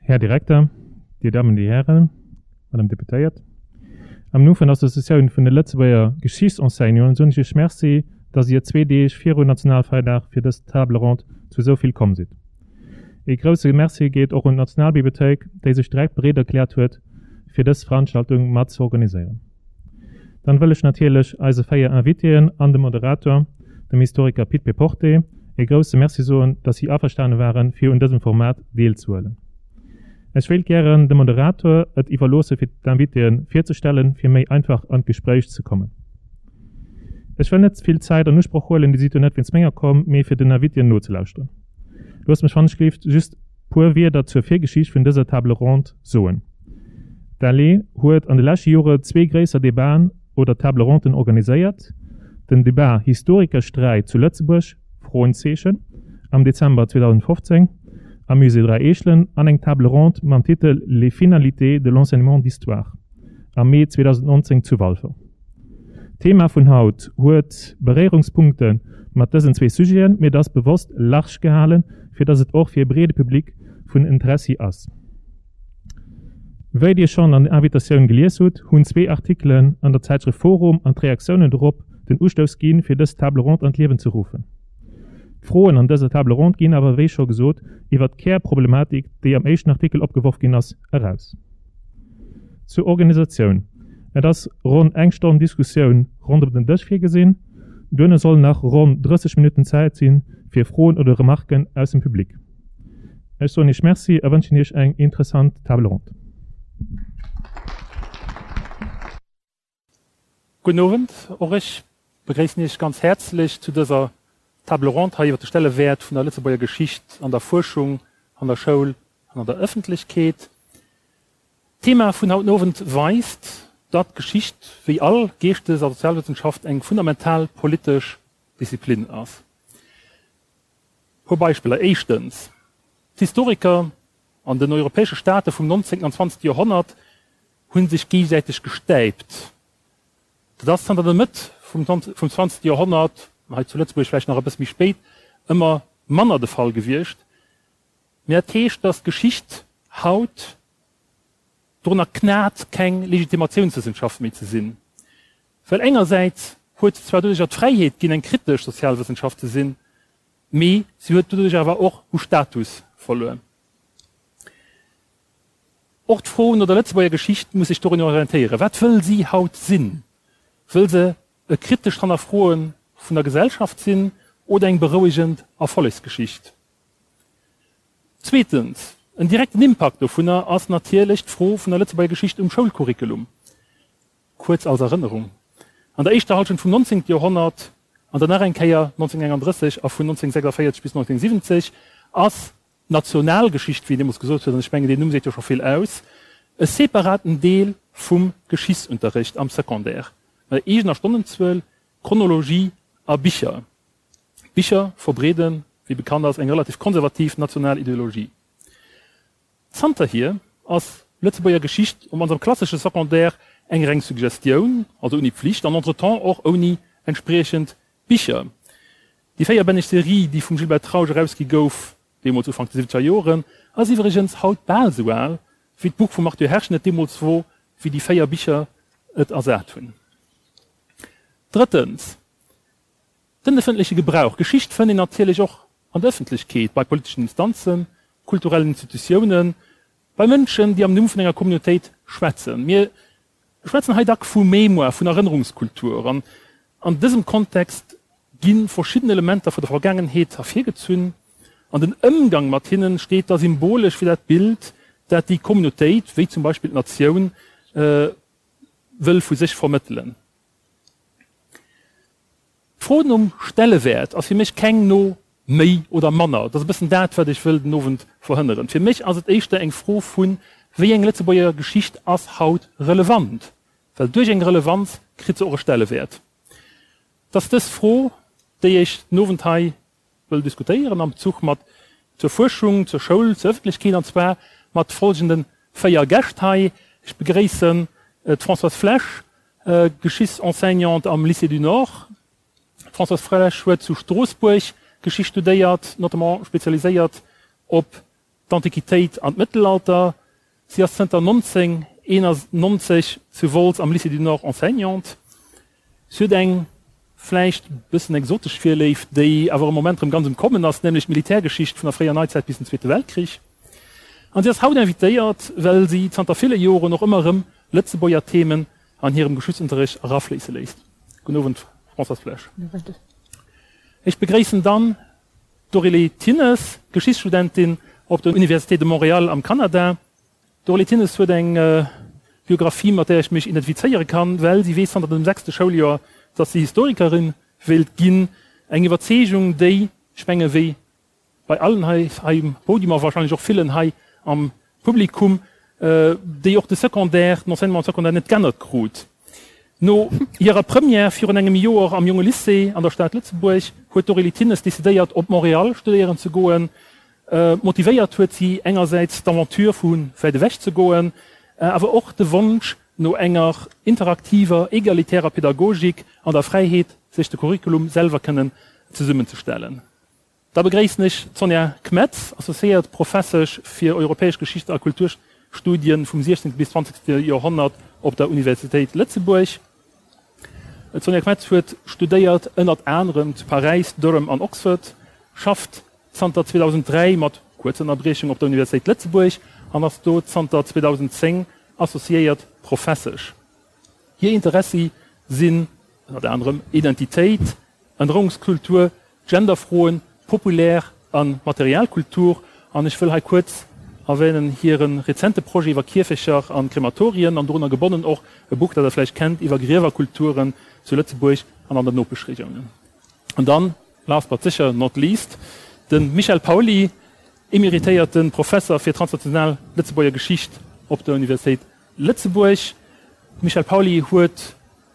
Här Direkter, Dir Dammen, Dir Hären, Madame Deputéiert, am Numm vun der Associatioun vun de Lëtzebuerger Geschichtsenseignanten soen ech Iech Merci, dass Dir zwee Deeg viru Nationalfeierdag fir dës Table ronde zu esou vill komm sidd. Ee grousse Merci geet och un d'Nationalbibliothéik, déi sech direkt bereet erkläert huet, fir dës Veranstaltung mat ze organiséieren. Dann wëll ech natierlech eise 4 Invitéen an dem Moderator, dem Historiker Pit Péporté, ee grousse Merci soen, dass si averstane waren, fir un dësem Format deelzehuelen. Ech wéilt gären dem Moderator et iwwerloosse fir d'Invitéen virzestellen, fir méi einfach an d'Gespréich ze kommen. Ech wëll net vill Zäit an Usproch huelen, Dir sidd jo net wéinst menger komm, mee fir den Invitéen nozelauschteren. Loosst mech wannechgelift just puer Wierder zur Virgeschicht vun dëser Table ronde soen. D'ALE huet an de leschte Jore zwee gréisser Debaten oder Table ronden organiséiert, den Debat Historikersträit zu Lëtzebuerg, Froenzeechen, am Dezember 2015 am Musée Dräi Eechelen an eng Table ronde mam Titel Les finalités de l'enseignement d'histoire am Mee 2019 zu Walfer. D'Thema vun haut huet Beréierungspunkte mat dësen zwee Sujeten, mee et ass bewosst large gehalen, fir dass et och fir e breede Public vun Interessi ass. Wéi Dir schonn an der Invitatioun gelies hutt, hunn zwee Artikelen an der Zäitschrëft Forum an d'Reaktiounen dorop den Ustouss ginn, fir dës Table ronde an d'Liewen ze ruffen. D'Froen an dëser Table ronde ginn awer, wéi scho gesot, iwwer d'Kärproblematik, déi am éischten Artikel opgeworf ginn ass, eraus. Zur Organisatioun, Et ass ronn eng Stonn Diskussioun ronderëm den Dësch virgesinn. Duerno sollen nach ronn 30 Minutten Zäit si fir Froen oder Remarken aus dem Public. Ech soen Iech Merci a wënschen Iech eng interessant Table ronde. Gudden Owend, och ech begréissen Iech ganz häerzlech zu dëser Table ronde hei iwwer de Stellewäert vun der Lëtzebuerger Geschicht an der Fuerschung, an der Schoul an an der Ëffentlechkeet. D'Thema vun haut den Owend weist, datt Geschicht, wéi all Geeschtes a Sozialwëssenschaft, eng fundamental politesch Disziplin ass. E puer Beispiller, Éischtens, d'Historiker an den europäesche Staate vum 19. an 20. Joerhonnert hu sech géigesäiteg gestäipt. Dat ass zanter der Mëtt vum 20. Joerhonnert, hei zu Lëtzebuerg vläicht nach e bësse méi spéit, ëmmer manner de Fall gewiescht. Mee dat heescht, datt d'Geschicht haut dorunner knat, keng Legitimatiounswëssenschaft méi ze sinn. Well engersäits huet se zwar doduercher d'Fräiheet ginn, eng kritesch Sozialwëssenschaft ze sinn, mee si huet doduerch awer och u Status verluer. Och d'Fro no der Lëtzebuerger Geschicht muss sech dorun orientéieren, Wat wëll si haut sinn? Wëll se e kritescht Hannerfroe vun der Gesellschaft sinn oder eng berouegend Erfollegsgeschicht? Zweetens, en direkten Impakt dovunner ass natierlech d'Fro vun der Lëtzebuerger Geschicht um Schoulcurriculum. Kuerz als Erënnerung, An der éischter Halschent vum 19. Joerhonnert an dann nach eng Kéier 1931 a vun 1946 bis 1970 ass d'Nationalgeschicht, wéi een deemools gesot huet, an ech mengen deen Numm seet jo scho vill aus, e separaten Deel vum Geschichtsunterricht am Secondaire, mat eegener Stonnenzuel, Chronologie a Bicher. D'Bicher verbreeden, wéi bekannt ass, eng relativ konservativ national Ideologie. Zanterhier ass Lëtzebuerger Geschicht op mannst am klassesche Secondaire eng reng Suggestioun, also ouni Pflicht an entretemps och ouni entspriechend Bicher. Déi véierbänneg Serie, déi vum Gilbert Trausch erausgi gouf, deemools Ufank de siwwenzeger Joren, ass iwwregens haut bal esou al, wéi d'Buch vum Arthur Herschen et deemools wor, wéi déi véier Bicher et ersat hunn. Drëttens, Den ëffentleche Gebrauch. Geschicht fënnt een natierlech och an der Ëffentlechkeet, bei politeschen Instanzen, kulturellen Institutiounen, bei Mënschen, déi am Numm vun enger Communautéit schwätzen. Mir schwätzen hei dack vu Mémoire, vun Erënnerungskultur. An an dësem Kontext gi verschidden Elementer vu der Vergaangenheet ervirgezunn an den Ëmgang mat hinnen steet da symbolesch fir dat Bild, dat déi Communautéit, wéi zum Beispill d'Natioun, wëll vu sech vermëttelen. D'Fro nom Stellewäert ass fir mech keng no méi oder manner. Dat ass e bëssen dat, wat ech wëll den Owend verhënneren. Fir mech ass et éischter eng Fro vu wéi eng Lëtzebuerger Geschicht ass haut relevant, well duerch eng Relevanz kritt se och e Stellewäert. Et ass dës Fro, déi ech den Owend hei wëll diskutéieren am Bezuch mat zur Fuerschung, zur Schoul, zur Ëffentlechkeet, an zwar mat folgende 4 Gäscht hei. Ech begréissen d'Françoise Flesch, Geschichtsenseignante am Lycée du Nord. D'Françoise Flesch huet zu Stroossbuerg Geschicht studéiert, notamment spezialiséiert op. d'Antiquitéit an d'Mëttelalter. Si ass zënter 1991 zu Wolz am Lycée du Nord Enseignante. Si huet eng vläicht bëssen exotesch Virléift, déi awer am Moment rëm ganz um Kommen ass, nämlech d'Militärgeschicht vun der fréier Neizäit bis den Zweete Weltkrich. An si ass haut invitéiert, well si zanter ville Joren och ëmmer erëm Lëtzebuerger Themen an hirem Geschichtsunterricht erafléisse léisst. Gudden Owend, Françoise Flesch. Ech begréissen dann d'Aurélie Thinnes, Geschichtsstudentin op der Université de Montréal am Kanada. D'Aurélie Thinnes huet eng Biographie, mat där ech mech identifizéiere kann, well si weess zanter dem sechste Schouljoer, datt si Historikerin wéilt ginn. Eng Iwwerzeegung, déi, ech menge wéi bei allen hei um Podium a wahrscheinlech och villen hei am Publikum, déi och de Secondaire, den Enseignement secondaire net g'ännert krut. No hirer Première virun engem Joer am Jonge Lycée an der Stad Lëtzebuerg huet d'Aurélie Thinnes decidéiert, op Montréal studéieren ze goen. Motivéiert huet si engersäits d'Aventure vu wäit ewech ze goen, awer och de Wonsch no enger interaktiver, egalitärer Pädagogik an der Fräiheet, sech de Curriculum selwer kënnen zesummenzestellen. Da begréissen ech d'Sonja Kmetz, associéiert Professesch fir europäesch Geschicht a Kulturstudien vum 16. bis 20. Joerhonnert op der Universitéit Lëtzebuerg. D'Sonja Kmetz huet studéiert ënnert anerem zu Paräis, Durham an Oxford, schafft zanter 2003 mat kuerzer Ënnerbriechung op der Universitéit Lëtzebuerg an ass do zanter 2010 associéiert Professesch. Hir Interessi sinn ënnert anerem Identitéit, Ännerungskultur, Genderfroen, populär a Materialkultur an ech wëll hei kuerz erwänen hire rezente Projet iwwer Kierfecher an Krematorien an dorunner gebonnen och e Buch, dat Der vläicht kennt, iwwer Griewerkulturen zu Lëtzebuerg an an den Nopeschregiounen. An dann, last but sécher not least, de Michel Pauly, emeritéierte Professer fir transnational Lëtzebuerger Geschicht op der Universitéit Lëtzebuerg. De Michel Pauly huet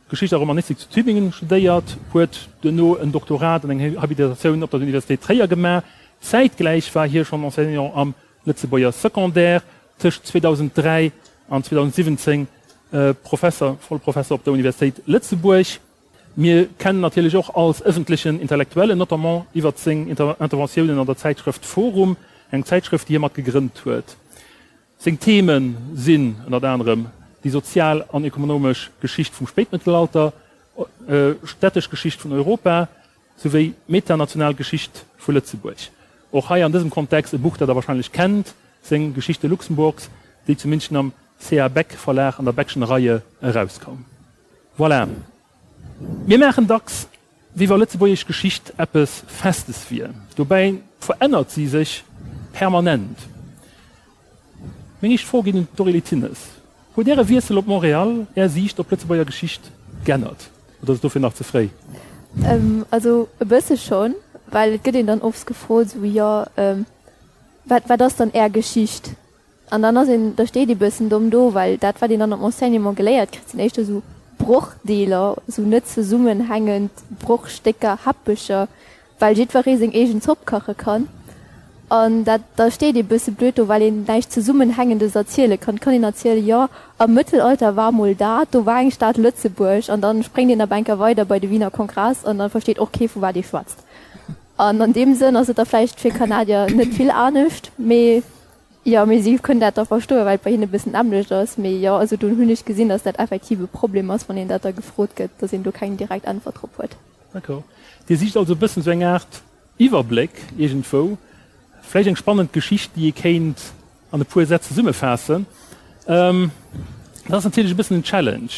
Geschicht a Romanistik zu Tübingen studéiert, huet duerno en Doktorat an eng Habilitatioun op der Universitéit Tréier gemaach. Zäitgläich war hie schonn Enseignant am Lëtzebuerger Secondaire, tëscht 2003 an 2017 Professer, Vollprofesser op der Universitéit Lëtzebuerg. Mir kennen natierlech och als ëffentlechen Intellektuellen, notamment iwwert seng Interventiounen an der Zäitschrëft forum, eng Zäitschrëft, déi hie mat gegrënnt huet. Seng Theme sinn ënnert anerem déi sozial an ekonomesch Geschicht vum Spéitmëttelalter, städtesch Geschicht vun Europa souwéi d'metanational Geschicht vu Lëtzebuerg. Och hei an dësem Kontext e Buch, dat der warscheinlech kennt, seng Geschichte Luxemburgs, déi zu München am CA. Beck Verlag an der Beckschen Reihe erauskoum. Voilà. Mir maachen dacks, wéi wa lëtzebuergesch Geschicht eppes Festes wier. Dobäi verännert si sech permanent. Meng éischt Fro geet un d'Aurélie Thinnes, Huet Äre Wiessel op Montréal Är Siicht op d'Lëtzebuerger Geschicht geännert oder ass et dofir nach ze fréi? Also e bësse schonn, well et gëtt een dann oft gefrot, esou, jo, wat, wat ass dann Är Geschicht? An dann ass een, da steet ee bëssen domm do, well dat, wat een dann am Enseignement geléiert kritt, sinn éischter esou Brochdeeler, esou net zesummenhängend Brochstécker, Häppecher, well jiddweree seng eegen Zopp kache kann. An dat, da steet ee bësse blöd do, well een näischt Zesummenhängendes erziele kann. Et kann een erzielen, jo, am Mëttelalter war mol dat, do war eng Stad Lëtzebuerg, an dann spréngt een op enker weider bei de Wiener Kongress an da versteet och kee vu wat ee schwätzt. An an deem Sënn ass et da vläicht fir Kanadier net vill anescht, mee Jo, mee si kënnen dat da verstoen, well et bei hinne e bëssen d'nämmlecht ass. Mee jo, also do hunn ech gesinn, datt dat effektiv e Problem ass, wann een dat da gefrot gëtt, datt een do keng direkt Äntwert drop huet. D'accord. Dir sicht also e bëssen esou eng Aart Iwwerbléck iergendwou, vläicht eng spannend Geschicht, déi ee kéint an e puer Sätz zesummefaassen. Dat ass natierlech e bëssen en Challenge.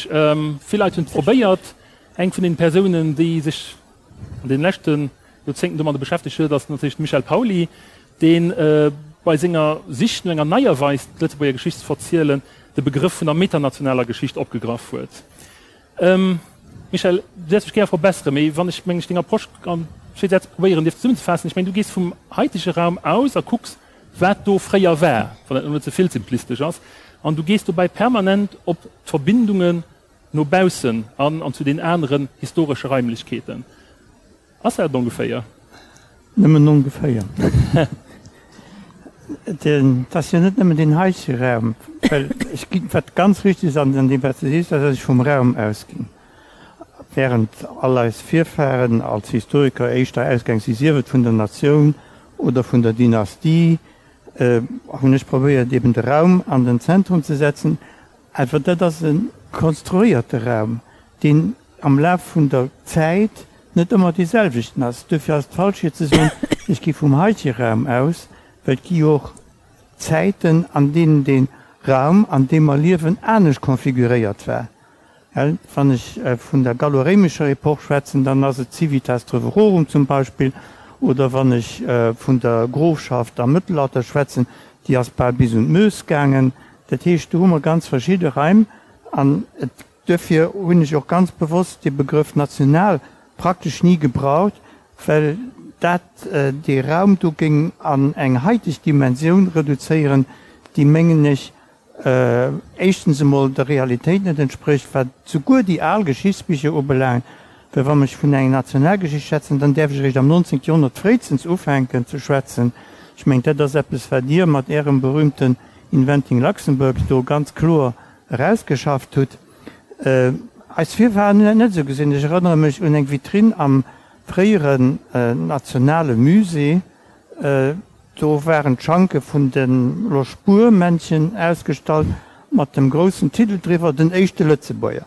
Vill Leit hunn et probéiert. Eng vun den Persounen, déi sech an deene leschte Joerzéngten domadder beschäftegt huet, ass natierlech de Michel Pauly, dee bei senger Sich no enger neier Weis, d'Lëtzebuerger Geschicht ze verzielen, de Begrëff vun der metanationaler Geschicht opgegraff huet. Michel, du däerfs mech gäre verbesseren, mee wann ech, meng ech, deng Approche an zwee Sätz probéieren dierf zesummenzefaassen, ech mengen, du gees vum haitege Raum aus a kucks, wat do fréier war, wann dat elo net ze vill simplistesch ass, an du gees dobäi permanent op d'Verbindungen no baussen an an zu den aneren historesche Raimlechkeeten. Ass dat et ongeféier? Nëmmen ongeféier. Et ass jo net nëmmen deen heitege Raum, well ech ginn, wat ganz richtig ass an deem wat s de sees, ass, datt ech vum Raum ausginn, während all eis Virfahren als Historiker éischter ausgaang si, sief et vun der Natioun oder vun der Dynastie. hunn ech probéiert eben de Raum an den Zentrum ze setzen. Awer dat ass e konstruéierte Raum, deen am Laf vun der Zäit net ëmmer dee selwechten ass. Duerfir ass et falsch fir ze soen, ech gi vum heitege Raum aus, well et gi jo och Zäiten, an deenen dee Raum, an deem mer liewen, anescht konfiguréiert war. Wann ech vun der gallo-réimescher Epoch schwätzen, dann ass et d'Civitas Treverorum zum Beispill, oder wann ech vun der Grofschaft am Mëttelalter schwätzen, déi ass bal bis un d'Meuse gaangen. Dat heescht, do hu mer ganz verschidde Raim an et, duerfir hunn ech och ganz bewosst dee Begrëff national praktesch ni gebraucht, well dat dee Raum do géing an eng haiteg Dimensioun reduzéieren, déi, mengen ech, éischtens emol der Realitéit net entsprécht, wat souguer déi al Geschichtsbicher ubelaangt, well wann ech vun enger Nationalgeschicht schwätzen, dann däerf ech eréischt am 19. Joerhonnert fréistens ufänken ze schwätzen. Ech mengen, dat ass eppes, wat Dir mat Ärem berühmten Inventing Luxembourg do ganz kloer erausgeschafft hutt. Eis Virfahren hunn dat net esou gesinn. Ech erënnere mech un eng Vitrinn am fréieren nationale Musée, Do waren d'Schanke vun de Loschbuer-Männchen ausgestallt, mat dem groussen Titel driwwer, Den éischte Lëtzebuerger.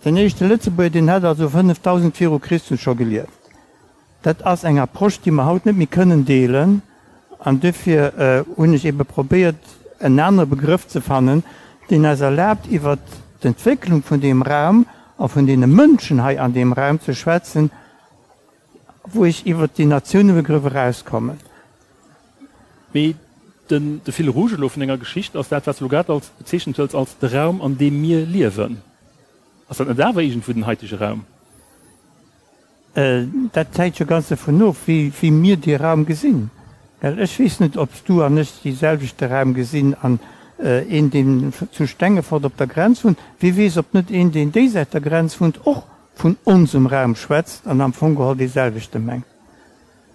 Den éischte Lëtzebuerger, deen hat also 5000 viru Christus scho gelieft. Dat ass eng Approche, déi mer haut net méi kënnen deelen. An duerfir hunn ech ebe probéiert, en anere Begrëff ze fannen, deen eis erlaabt, iwwert d'Entwécklung vun deem Raum a vun deene Mënschen hei an deem Raum ze schwätzen, wou ech iwwert déi Natiounebegrëff erauskommen. Mee den de Fil rouge elo vun denger Geschicht ass dat, wat s de elo grad als bezeechent huels als de Raum, an deem mir liewen. Ass dat net awer iergendwou den haitege Raum? Dat hänkt jo ganz dovun of, wéi mir dee Raum gesinn. Well ech weess net, ob s du an ech dee selwechte Raum gesinn an een, deen zu Stengefort op der Grenz wunnt, wie weess, ob net een, deen déisäit der Grenz wunnt, och vun onsem Raum schwätzt an am Fong geholl dee selwechte mengt.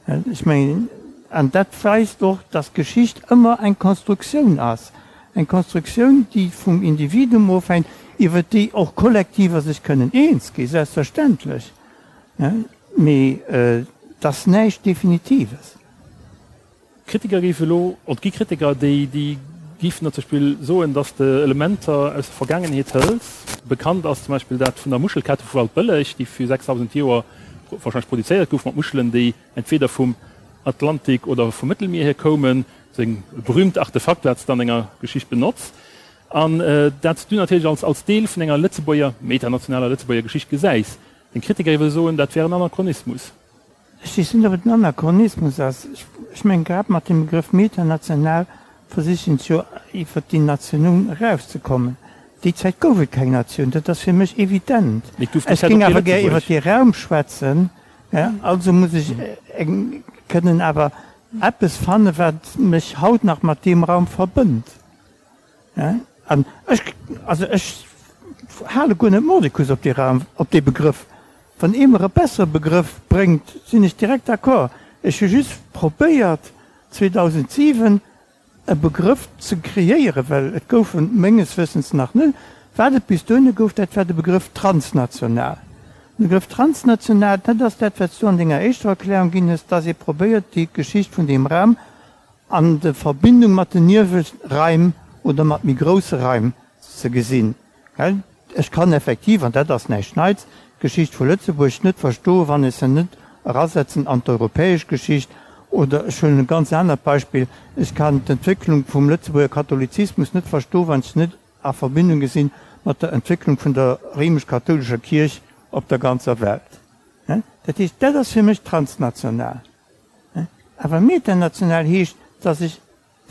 Ech mengen, an dat weist och, dass Geschicht ëmmer eng Konstruktioun ass, eng Konstruktioun, déi vum Individuum ofhänkt, iwwer déi och Kollektiver sech kënnen eens gi, selbstverständlech, mee et ass näischt Definitives. Kritiker géife elo, et gi Kritiker, déi déi géifen der zum Beispill soen, datt s de Elementer aus der Vergaangenheet hëls. Bekannt ass zum Beispill dat vun der Muschelkette vu Waldbëlleg, déi vir 6.000 Joer warscheinlech produzéiert gouf, mat Muschelen, déi entweder vum Atlantik oder vum Mëttelmier hier koumen. Sou e berühmt Artefakt, wat s de an denger Geschicht benotz. An dat s du natierlech als als Deel vun enger Lëtzebuerger, metanationaler Lëtzebuerger Geschicht gesäis. Deng Kritiker géife soen, dat wär en Anachronismus. Ech weess net, ob et en Anachronismus ass. Ech mengen, grad mat dem Begrëff metanational versichen se jo iwwert déi Natioun erauszekommen. Déi Zäit gouf et keng Natioun, dat ass fir mech evident. Mee et gouf déi Ech Zäit och géing kee awer gär iwwert Lëtzebuerg. dee Raum schwätzen, also muss ech kënnen awer eppes fannen, wat mech haut nach mat deem Raum verbënnt. An ech, also ech hale guer net mordicus op dee Raum, op dee Begrëff. Wann ee mer e bessere Begrëff bréngt, sinn ech direkt d'accord. Ech hu just probéiert 2007 e Begrëff ze kreéieren, well et gouf en menges Wëssens nach net. Wat et bis dohinne gouf, dat war de Begrëff transnational. De Begrëff transnational, dat ass dat, wat s du an denger éischter Erklärung ginn hues, dass ee probéiert, déi Geschicht vun deem Raum an de Verbindung mat den Nieweraim oder mat méi grousse Raim ze gesinn. Well ech kann effektiv, an dat ass näischt Neits, d'Geschicht vu Lëtzebuerg net verstoen, wann ech se net erasetzen an d'europäesch Geschicht. Oder ech huelen e ganz anert Beispill, Ech kann d'Entwécklung vum Lëtzebuerger Katholizismus net verstoen, wann ech se net a Verbindung gesinn mat der Entwécklung vun der réimesch-kathoulescher Kierch op der ganzer Welt. Dat heescht, dat ass fir mech transnational. Awer metanational heescht, dass ech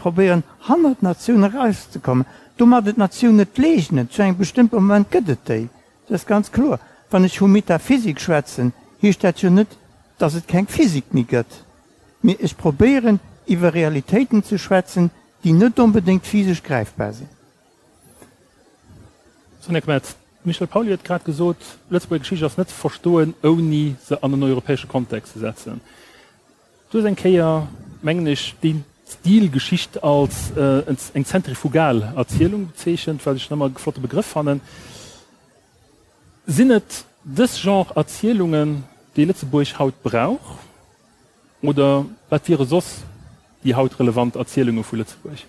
probéieren, hannert d'Natioun erauszekommen, domadder d'Natioun net leegnen. Zu engem bestëmmte Moment gëtt et déi, dat ass ganz kloer. Wann ech vu Metaphysik schwätzen, heescht dat jo net, dass et keng Physik méi gëtt, mee ech probéieren, iwwer Realitéiten ze schwätzen, déi net onbedéngt physesch gräifbar sinn. Sonja Kmetz, D'Michèle Pauly huet grad gesot, d'Lëtzebuerger Geschicht ass net ze verstoen, ouni se an en europäesche Kontext ze setzen. Du hues eng Kéier, mengen ech, dee Stil Geschicht als eng zentrifugal Erzielung bezeechent, wat ech nach ëmmer e flotte Begrëff fannen. Sinn et dës Genre Erzielungen, déi Lëtzebuerg haut brauch, oder wat wiere soss? déi haut relevant Erzielunge vu Lëtzebuerg?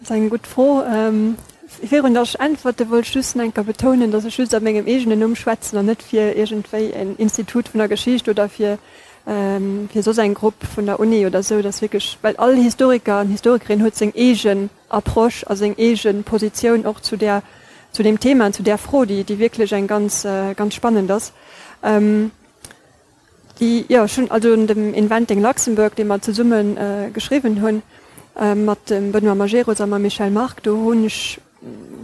Dat ass eng gutt Fro. Virun datt ech äntwerte wollt ech just nach eng Kéier betounen, datt ech just a mengem eegenen Numm schwätzen an net fir iergendwéi en Institut vun der Geschicht oder fir fir soss eng Grupp vun der Uni oder esou. Dat ass wierklech, well all Historiker an Historikerin huet seng eegen Approche a seng eege Positioun och zu där, zu deem Thema an zu där Fro, déi déi wierklech eng ganz ganz spannend ass. Déi, jo, ech hunn also un dem Inventing Luxembourg, dee mer zesumme geschriwwen hunn, mat dem Benoît Majerus a mam Michel Margue, do hunn ech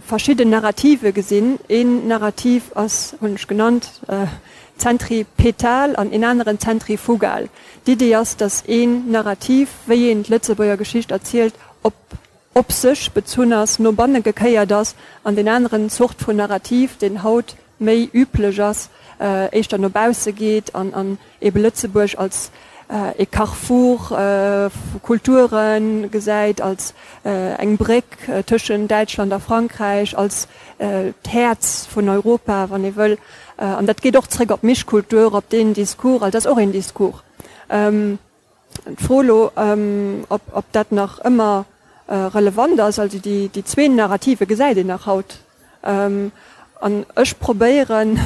verschidden Narrative gesinn. Een Narrativ ass, hunn ech genannt, zentripetal an een aneren zentrifugal. D'Idee ass, datt een Narrativ, wéi een d'Lëtzebuerger Geschicht erzielt, op op sech bezunn ass, no banne gekéiert ass, an deen aneren Zort vun Narrativ, deen haut méi üblech ass, éischter no bausse geet an an ebe Lëtzebuerg als e Carrefour vu Kulture gesäit, als eng Bréck tëschent Däitschland a Frankräich, als d'Häerz vun Europa, wann ee wëll. An dat geet och zréck op d'Mischkultur, op deen Discours, also dat ass och een Discours. D'Fro elo, ob dat nach ëmmer relevant ass, also déi zwee Narrative gesäit een nach haut. An ech probéieren,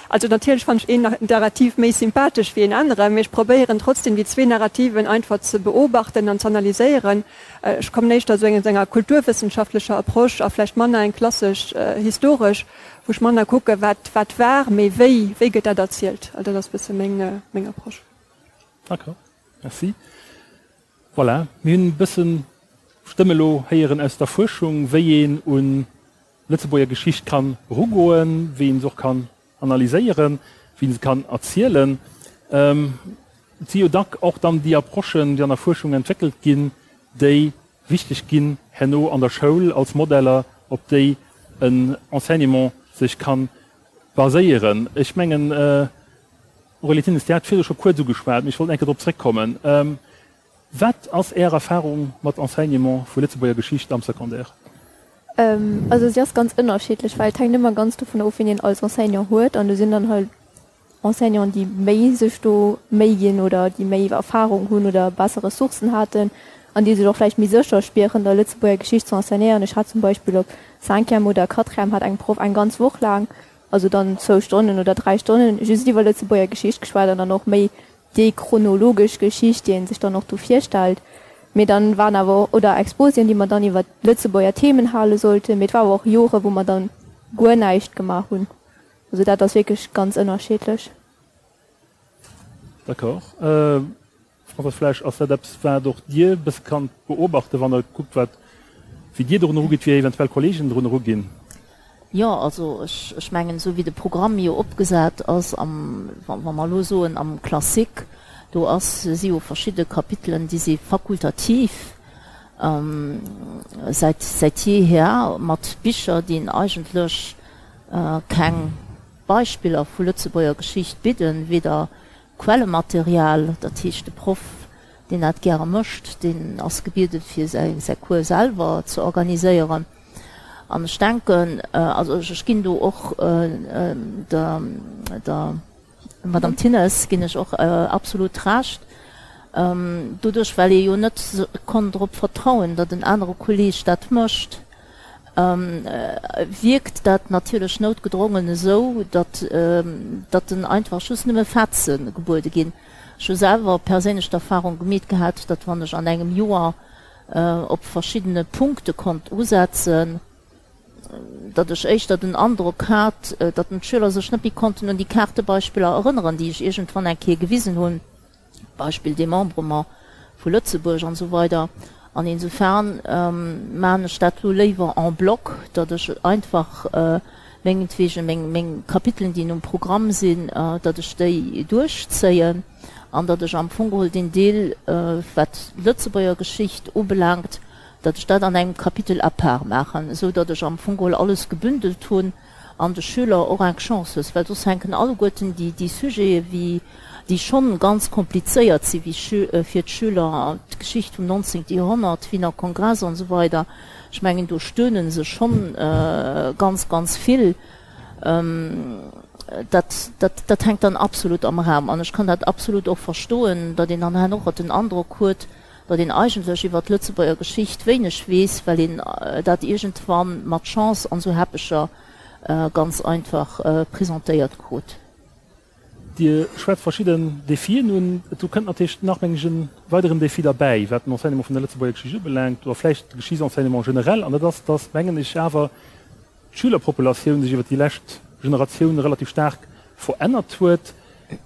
also natierlech fannen ech een Narrativ méi sympathesch wéi een anere, mee ech probéieren trotzdem déi zwee Narrativen einfach ze beobachten an z'analyséieren. Ech kommen éischter esou aus enger kulturwëssenschaftlecher Approche a vläicht manner eng klassesch historesch, wou ech manner kucke wat wat war, mee wéi, wéi gëtt dat erzielt. Also dat ass e bësse meng Approche. D'accord, merci. Voilà, mir hunn e bësse Stëmme elo héieren aus der Fuerschung, wéi een un Lëtzebuerger Geschicht kann erugoen, wéi een se och kann analyséieren, wéi een se kann erzielen. Et si jo dack och dann déi Approchen, déi an der Fuerschung entwéckelt ginn, déi wichteg ginn herno an der Schoul als Modeller, op déi en Enseignement sech kann baséieren. Ech mengen, Aurélie Thinnes, Dir hat virdu scho kuerz ugeschwat, mee ech wollt eng Kéier drop zréckkommen. Wat ass Är Erfahrung mat Enseignement vu Lëtzebuerger Geschicht am Secondaire? Also si ass ganz ënnerschiddlech, well et hänkt ëmmer ganz dovun of, wien een als Enseignant huet. An do sinn dann halt Enseignanten, déi méi sech do Méi ginn oder déi méi Erfahrung hunn oder besser Ressourcen haten an déi sech och vläicht méi sécher spieren, da Lëtzebuerger Geschicht ze enseignéieren. Ech hat zum Beispill op Cinquième oder Quatrième hat eng Proff eng ganz Woch laang also dann zwou Stonnen oder dräi Stonnen just iwwer Lëtzebuerger Geschicht geschwat an dann och méi déi chronologesch Geschicht, déi ee sech dann och do virstellt. Mee dann waren awer och, oder Exposien, déi mer dann iwwer Lëtzebuerger Themen hale sollten. Mee et war awer och Jore wou mer dann guer näischt gemaach hunn. Also dat ass wierklech ganz ënnerschiddlech. D'accord. Françoise Flesch, ass dat eppes, wat och Dir e bësse kannt beobachten, wann Der kuckt, wat, wéi Dir dorun erugitt, wéi eventuell Kollegen drun eruginn? Jo, also ech, ech mengen, esou wéi de Programm jo opgesat ass am, wa mer elo soen am Classique, do ass, si jo verschidde Kapitelen, déi si fakultativ säit, säit jeeher mat Bicher, déi eigentlech keng Beispiller vu Lëtzebuerger Geschicht bidden, weder Quellematerial, dat heescht de Proff, deen dat gäre mécht, deen ass gebieden, fir säi Cours selwer ze organiséieren. An ech denken, also ech ginn do och der Madame Thinnes ginn ech och absolut Recht, doduerch well ee jo net konnt drop vertrauen, datt en anere Kolleeg dat mécht, wierkt dat natierlech noutgedrongen esou, datt datt en einfach just nëmme Fatze gebuede ginn. Ech hu selwer perséinlech d'Erfahrung gemeet gehat, datt wann ech an engem Joer op verschiddene Punkte konnt usetzen, datt ech éischter den Androck hat, datt d'Schüler sech net méi konnten un déi Kaartebeispiller erënneren, déi ech iergendwann eng Kéier gewisen hunn. Beispill Démembrement vu Lëtzebuerg an esou weider. An insofern maachen ech dat elo léiwer en bloc, datt ech einfach mengetwegen meng, meng Kapitelen, déi um Programm sinn, datt ech déi duerchzéien an datt ech am Fong geholl deen Deel, wat d'Lëtzebuerger Geschicht ubelaangt, datt ech dat an engem Kapitel à part maachen, esou datt ech am Fong geholl alles gebündelt hunn an de Schüler och eng Chance hues, well soss hänken alleguerten déi, déi Sujete wéi, déi schonn ganz komplizéiert si wéi fir d'Schüler, d'Geschicht vum 19. Joerhonnert, Wiener Kongress an esou weider, ech mengen do stöhne se schonn ganz, ganz vill. Dat, dat, dat hänkt dann absolut am Raum an ech kann dat absolut och verstoen, datt een dann herno och den Androck huet, datt een eigentlech iwwer d'Lëtzebuerger Geschicht wéineg weess, well een dat iergendwann mat Chance an esou Heppecher ganz einfach presentéiert krut. Dir schwätzt verschidden Defien un. Do kënnt natierlech nach, mengen ech, e weideren Defi derbäi, wat den Enseignement vun der Lëtzebuerger Geschicht ubelaangt, oder vläicht de Geschichtsenseignement generell, an dat ass, dass, mengen ech, awer d'Schülerpopulatioun sech iwwert déi lescht Generatioun relativ staark verännert huet.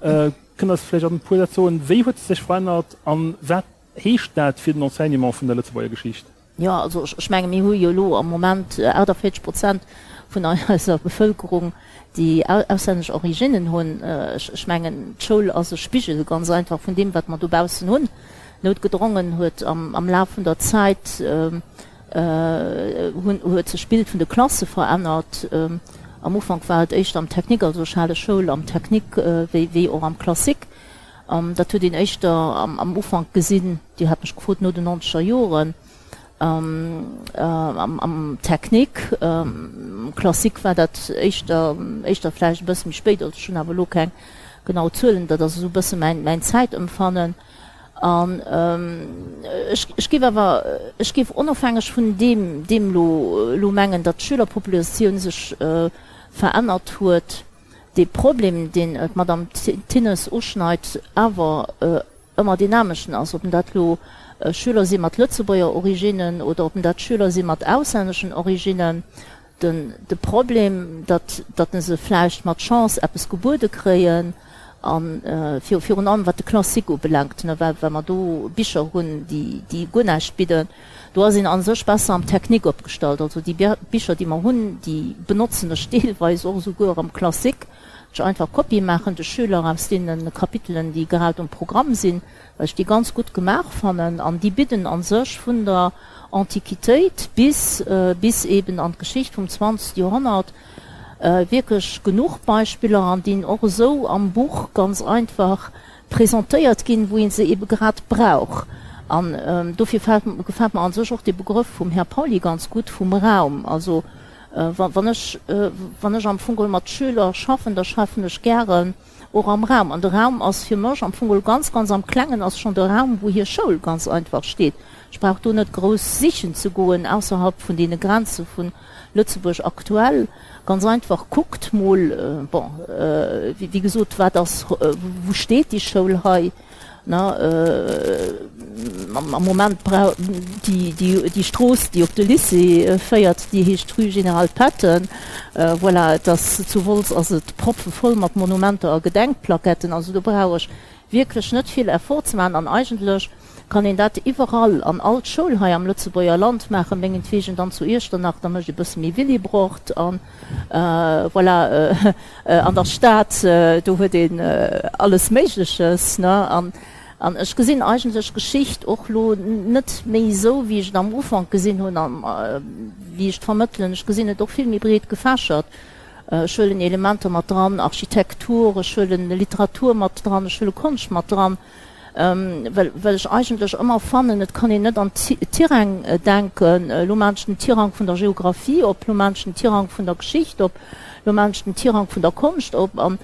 Kënnt Der eis vläicht an e puer Sätz soen, wéi huet se sech verännert a wat heescht dat fir den Enseignement vun der Lëtzebuerger Geschicht? Jo, also ech menge mir hu jo elo am Moment 48 Prozent vun eiser Bevëlkerung, déi auslännesch Originnen hunn. Ech mengen, d'Schoul ass e Spigel ganz einfach vun deem, wat mer dobaussen hunn. Noutgedrongen huet am Laf vun der Zäit huet sech d'Bild vun de Klasse verännert. Am Ufank war et éischter am Technique, also ech hale Schoul am Technique wéi och am Classique. Dat huet een éischter am Ufank gesinn, Dir hat mech gefrot no den nonzeger Joren, am Technique. Am Classique war dat éischter, éischter vläicht e bësse méi spéit. Also ech hunn awer elo keng genau Zuelen, dat ass esou e bësse mäin, mäin Zäitempfannen. An ech, ech géif awer, ech géif onofhängeg vun deem, deem elo, elo mengen, datt d'Schülerpopulatioun sech verännert huet, dee Problem, deen d'Madame Thinnes uschneit, awer ëmmer deen amechten ass, ob dat elo Schüler si mat Lëtzebuerger Originnen oder ob dat Schüler si mat auslänneschen Originnen. Den, de Problem, datt, datt se vläicht mat Chance eppes gebuede kréien, a virun allem wat de Classique ubelaangt, well, well mer do Bicher hunn, déi, déi guer näischt bidden, do ass een a sech besser am Technique opgestallt. Also déi Bicher, déi mer hunn, déi benotzen ech deelweis och esouguer am Classique. Ech einfach Kopie maachen de Schüler aus deene Kapitelen, déi grad um Programm sinn, well ech déi ganz gutt gemaach fannen an déi bidden a sech vun der Antiquitéit bis bis eben an d'Geschicht vum 20. Joerhonnert wierklech genuch Beispiller an déi och esou am Buch ganz einfach presentéiert ginn, wou ee se ebe grad brauch. An dofir gefält mer a sech och dee Begrëff vum Här Pauly ganz gutt, vum Raum. Also Wann ech, wann ech am Fong geholl mat Schüler schaffen, da schaffen ech gären och am Raum. An de Raum ass fir mech am Fong geholl ganz, ganz am Klengen ass schonn de Raum, wou hir Schoul ganz einfach steet. Ech brauch do net grouss sichen ze goen ausserhalb vun deene Grenze vu Lëtzebuerg aktuell. Ganz einfach, kuckt mol, bon, wéi gesot, wat ass, wou steet déi Schoul hei? Am Moment déi Strooss, déi op de Lycée féiert, déi heescht Rue Général Patton. Voilà, et ass zu Wolz ass et proppevoll mat Monumenter a Gedenkplaquetten. Also do brauch ech wierklech net vill Effort ze maachen. An eigentlech kann een dat iwwerall an all d'Schoul hei am Lëtzebuerger Land maachen, mengetwegen dann zu Iechternach, da mécht e bësse méi Willibrord an voilà, an der Stad, do huet een alles Méigleches, ne? An, an ech gesinn eigentlech Geschicht och lo net méi esou, wéi ech et am Ufank gesinn hunn an wéi ech et vermëttelen. Ech gesinn et och vill méi breet gefächert. Ech huelen Elementer mat dran, Architektur, ech huelen Literatur mat dran, ech huele Konscht mat dran. Well well ech eigentlech ëmmer fannen, et kann een net an Tiräng denken, elo maachen ech den Tirang vun der Geographie op, elo maachen ech den Tirang vun der Geschicht op, elo maachen ech den Tirang vun der Konscht op. An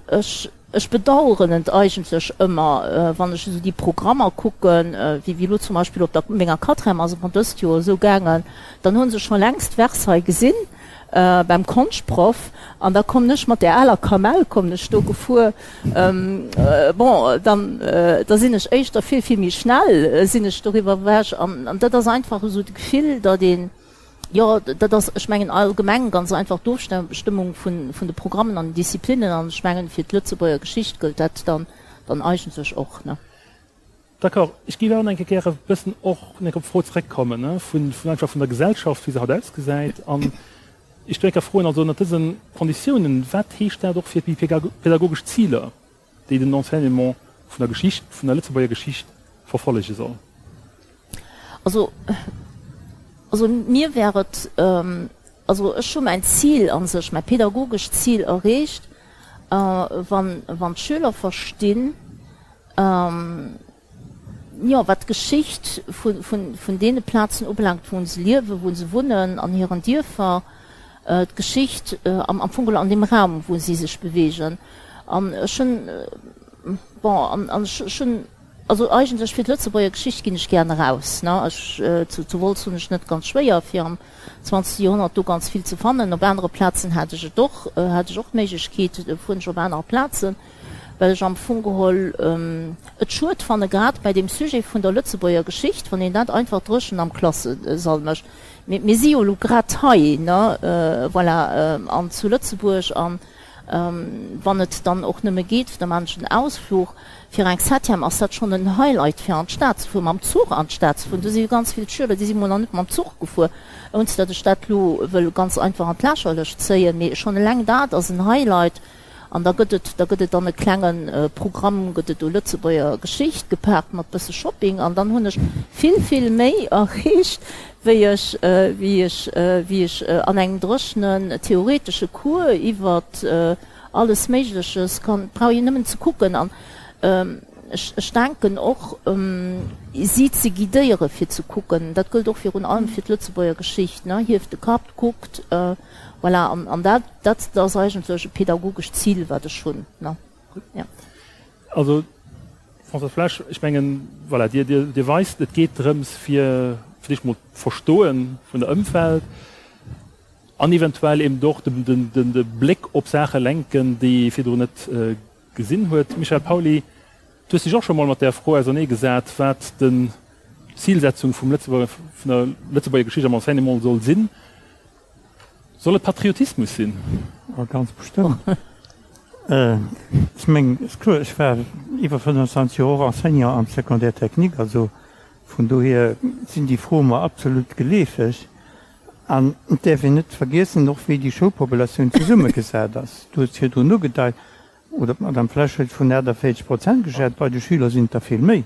ech ech bedauern et eigentlech ëmmer, wann ech esou déi Programmer kucken, wéi wéi elo zum Beispill op der menger Quatrième ass et mer dëst Joer esou gaangen, dann hu se scho längst Versailles gesinn, beim Konschtproff an da kommen ech mat där aler Kamell kommen ech do gefuer. Bon, dann da sinn ech éischter vill, vill méi schnell sinn ech doriwwer ewech an an dat ass einfach esou d'Gefill, datt een, jo, dat ass, ech mengen allgemeng ganz einfach d'Ofstëmmung vun vun de Programmen an den Disziplinnen an ech mengen fir d'Lëtzebuerger Geschicht gëllt dat dann dann eigentlech och, ne. D'accord. Ech géif awer nach eng Kéier gäre e bëssen och nach eng Kéier op d'Fro zrëckkommen, ne, vun, vun einfach vun der Gesellschaft, wéi se haut ausgesäit. An ech do eng Kéier froen, also ënnert dëse Konditiounen, wat heescht dat och fir déi pädagogesch Ziler, déi den Enseignement vun der Geschicht, vun der Lëtzebuerger Geschicht verfollege soll? Also, also mir wär et, also ech hu mäin Zil a sech, mäi pädagogescht Zil erreecht, wann, wann d'Schüler verstinn, Jo, wat d'Geschicht vun deene Plazen ubelaangt, wou se liewen, wou se wunnen, an hiren Dierfer, d'Geschicht am Fong geholl an deem Raum, wou si sech beweegen. An ech hunn, bon, an ech hunn. Also eigentlech fir d'Lëtzebuerger Geschicht ginn ech gären eraus, ne. Ech, zu, zu Wolz hunn ech net ganz schwéier fir am zwanzegste Joerhonnert do ganz vill ze fannen. Op anere Plazen hat ech et och, hat ech och d'Méiglechkeet, fueren ech op aner Plazen, well ech am Fong geholl et schued fanne grad bei deem Sujet vun der Lëtzebuerger Geschicht, wann een dat einfach dréchen am Klassesall mécht. Mir, mir si jo elo grad hei, ne, voilà, an zu Lëtzebuerg an, Wann et dann och nëmme geet, da maan ech en Ausfluch. Fir eng Septième ass dat schonn en Highlight fir an d'Stad ze fueren, mam Zuch an d'Stad ze fueren. Do si jo ganz vill Schüler, déi si mol nach net mam Zuch gefuer, ounst datt ech dat lo wëll ganz einfach an d'Lächerlecht zéien, mee schonn eleng dat ass en Highlight. An da gëtt et, da gëtt et dann e klenge Programm, gëtt et do Lëtzebuerger Geschicht gepaart mat bësse Shopping an dann hunn ech vill, vill méi erreecht, wéi ech, wéi ech, wéi ech an engem dréchenen theoretesche Cours iwwert alles Méigleches kann, brauch een nëmmen ze kucken an ech, ech denken och, si ze guidéiere fir ze kucken, dat gëllt och virun allem fir d'Lëtzebuerger Geschicht, ne, hieft de Kapp, kuckt, voilà, an, an dat, dat ass eigentlech e pedagogescht Zil, wat ech hunn, ne, jo. Also, Françoise Flesch, ech mengen, voilà, Dir, Dir, Dir weist, et geet drëms fir fir d'éischt mol d'Verstoe vun der Ëmwelt an eventuell eben och de, de, de, de Bléck op Saache lenken, déi ee virdrun net gesinn huet. Michel Pauly, du hues dech och scho mol mat där Fro auserneegesat, wat den Zilsetzung vum Lëtzebuerger, vun der Lëtzebuerger Geschicht am Enseignement soll sinn. Soll et Patriotismus sinn? Oh, ganz bestëmmt. Ech mengen, ass kloer, ech war iwwer 25 Joer och Enseignant am Secondaire technique, also vun dohier sinn déi Froe mer absolut geleefeg. An et däerf een net vergiessen och, wéi déi Schoulpopulatioun zesummegesat ass. Du hues virdrun ugedeit, oder d'Madame Flesch huet vun 48 Prozent geschwat, bei de Schüler sinn et der vill méi.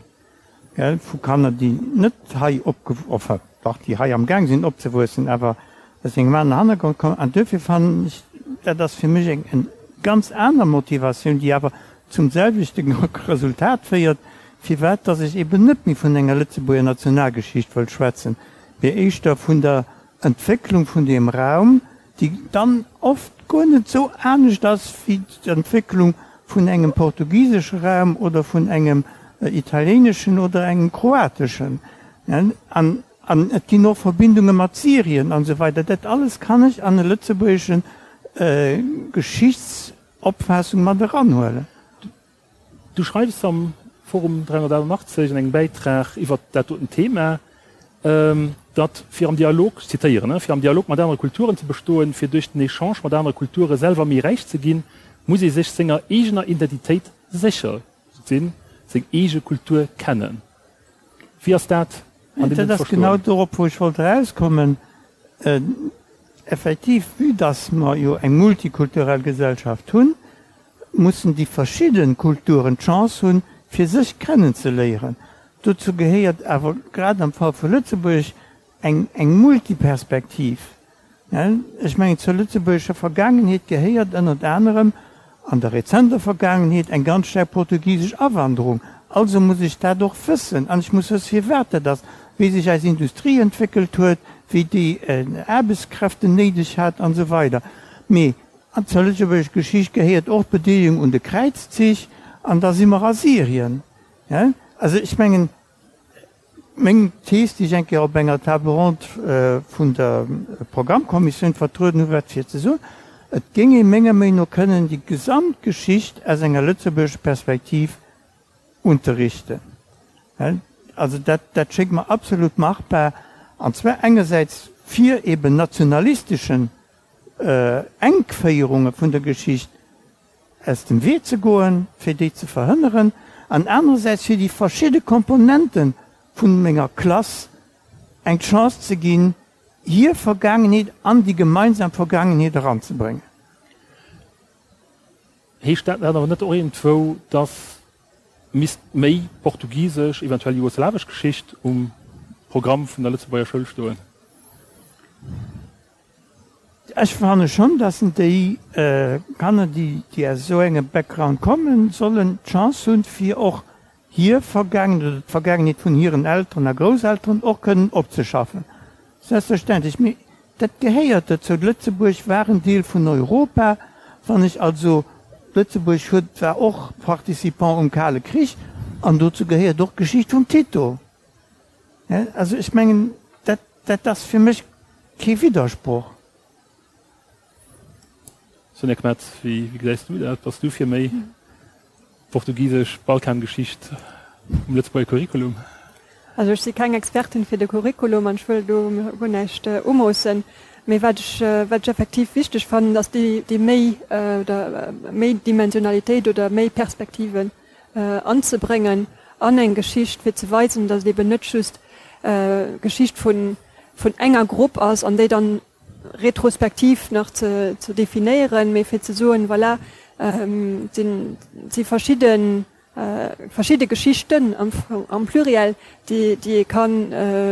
Gell, vu Kanner, déi net hei opge-, enfin dach, déi hei am Gaang sinn opzewuessen, awer aus engem aneren Hannergrond kommen. An duerfir fannen ech, dat ass fir mech eng, eng ganz aner Motivatioun, déi awer zum selwechte Resultat féiert, firwat dass ech eben net méi vun enger Lëtzebuerger Nationalgeschicht wëll schwätzen, mee éischter vun der Entwécklung vun deem Raum, déi dann oft guer net esou anescht ass wéi d'Entwécklung vun engem portugisesche Raum oder vun engem italieneschen oder engem kroateschen. An et ginn och Verbindunge mat Syrien an esou weider. Dat alles kann ech an e lëtzebuergesche Geschichtsopfaassung mat eranhuelen. Du schreifs am Forum 388 an engem Bäitrag iwwert dat doten Thema, datt fir am Dialog, ech zitéieren, fir am Dialog mat anere Kulturen ze bestoen, fir duerch den Echange mat anere Kulture selwer méi räich ze ginn, muss ee sech senger eegener Identitéit sécher sinn, seng eege Kultur kennen. Wéi ass dat an deem Sënn ze verstoen? Dat ass genau dorop, wou ech wollt erauskommen. Effektiv, vue dass mer jo eng multikulturell Gesellschaft hunn, mussen déi verschidde Kulturen d'Chance hunn, fir sech kennenzeléieren. Dozou gehéiert awer grad am Fall vu Lëtzebuerg eng eng Multiperspektiv. Ech mengen, zur lëtzebuergescher Vergaangenheet gehéiert ënnert anerem an der rezenter Vergaangenheet eng ganz staark portugisesch Awanderung. Also muss ech dat och wëssen an ech muss wësse firwat dat ass, wéi sech eis Industrie entwéckelt huet, wéi déi Aarbechtskräften néideg hat an esou weider. Mee An zur lëtzebuergesch Geschicht gehéiert och d'Bedeelegung un de Kräizzich, an da si mer a Syrien. Also ech mengen, meng Thees, déi ech eng Kéier op enger Table ronde vun der Programmkommissioun vertrueden hu war fir ze soen, et géing ee menger Meenung no kënnen déi gesamt Geschicht aus enger lëtzebuergescher Perspektiv unterrichten. Also dat, dat schéngt mer absolut machbar, an zwar engersäits fir eben nationalisteschen Enkféierunge vun der Geschicht aus dem Wee ze goen, fir déi ze verhënneren, an anerersäits fir déi verschidde Komponente vun menger Klass eng Chance ze ginn, hir Vergaangenheet an déi gemeinsam Vergaangenheet eranzebréngen. Heescht dat awer net och iergendwou, dass misst méi portugisesch, eventuell jugoslawesch Geschicht um Programm vun der Lëtzebuerger Schoul stoen? Ech fanne schonn, dass déi Kanner, déi aus esou engem Background kommen, sollen d'Chance hunn, fir och hir Vergaangenheet oder d'Vergaangenheet vun hiren Elteren a Grousselteren och kënnen opzeschaffen. Selbstverständlech. Mee dat gehéiert dozou. Lëtzebuerg war en Deel vun Europa. Wann ech also, Lëtzebuerg huet, war och Participant um Kale Krich. An dozou gehéiert och d'Geschicht vum Tito. Also ech mengen, dat, dat ass fir mech kee Widdersproch. Sonja Kmetz, wéi gesäis du dat? Bass du fir méi portugisesch Balkangeschicht um Lëtzebuerger Curriculum? Also ech si keng Expertin fir de Curriculum an ech wëll do mir guer näischt umoossen. Mee wat ech, wat ech effektiv wichteg fannen, ass déi, déi méi oder méi Dimensionalitéit oder méi Perspektiven anzebréngen an eng Geschicht, fir ze weisen, datt et eben net just Geschicht vun, vun enger Grupp ass an déi dann retrospektiv nach ze definéieren, mee fir ze soen, voilà, et si verschidde verschidde Geschichten am Pluriel, déi ee ka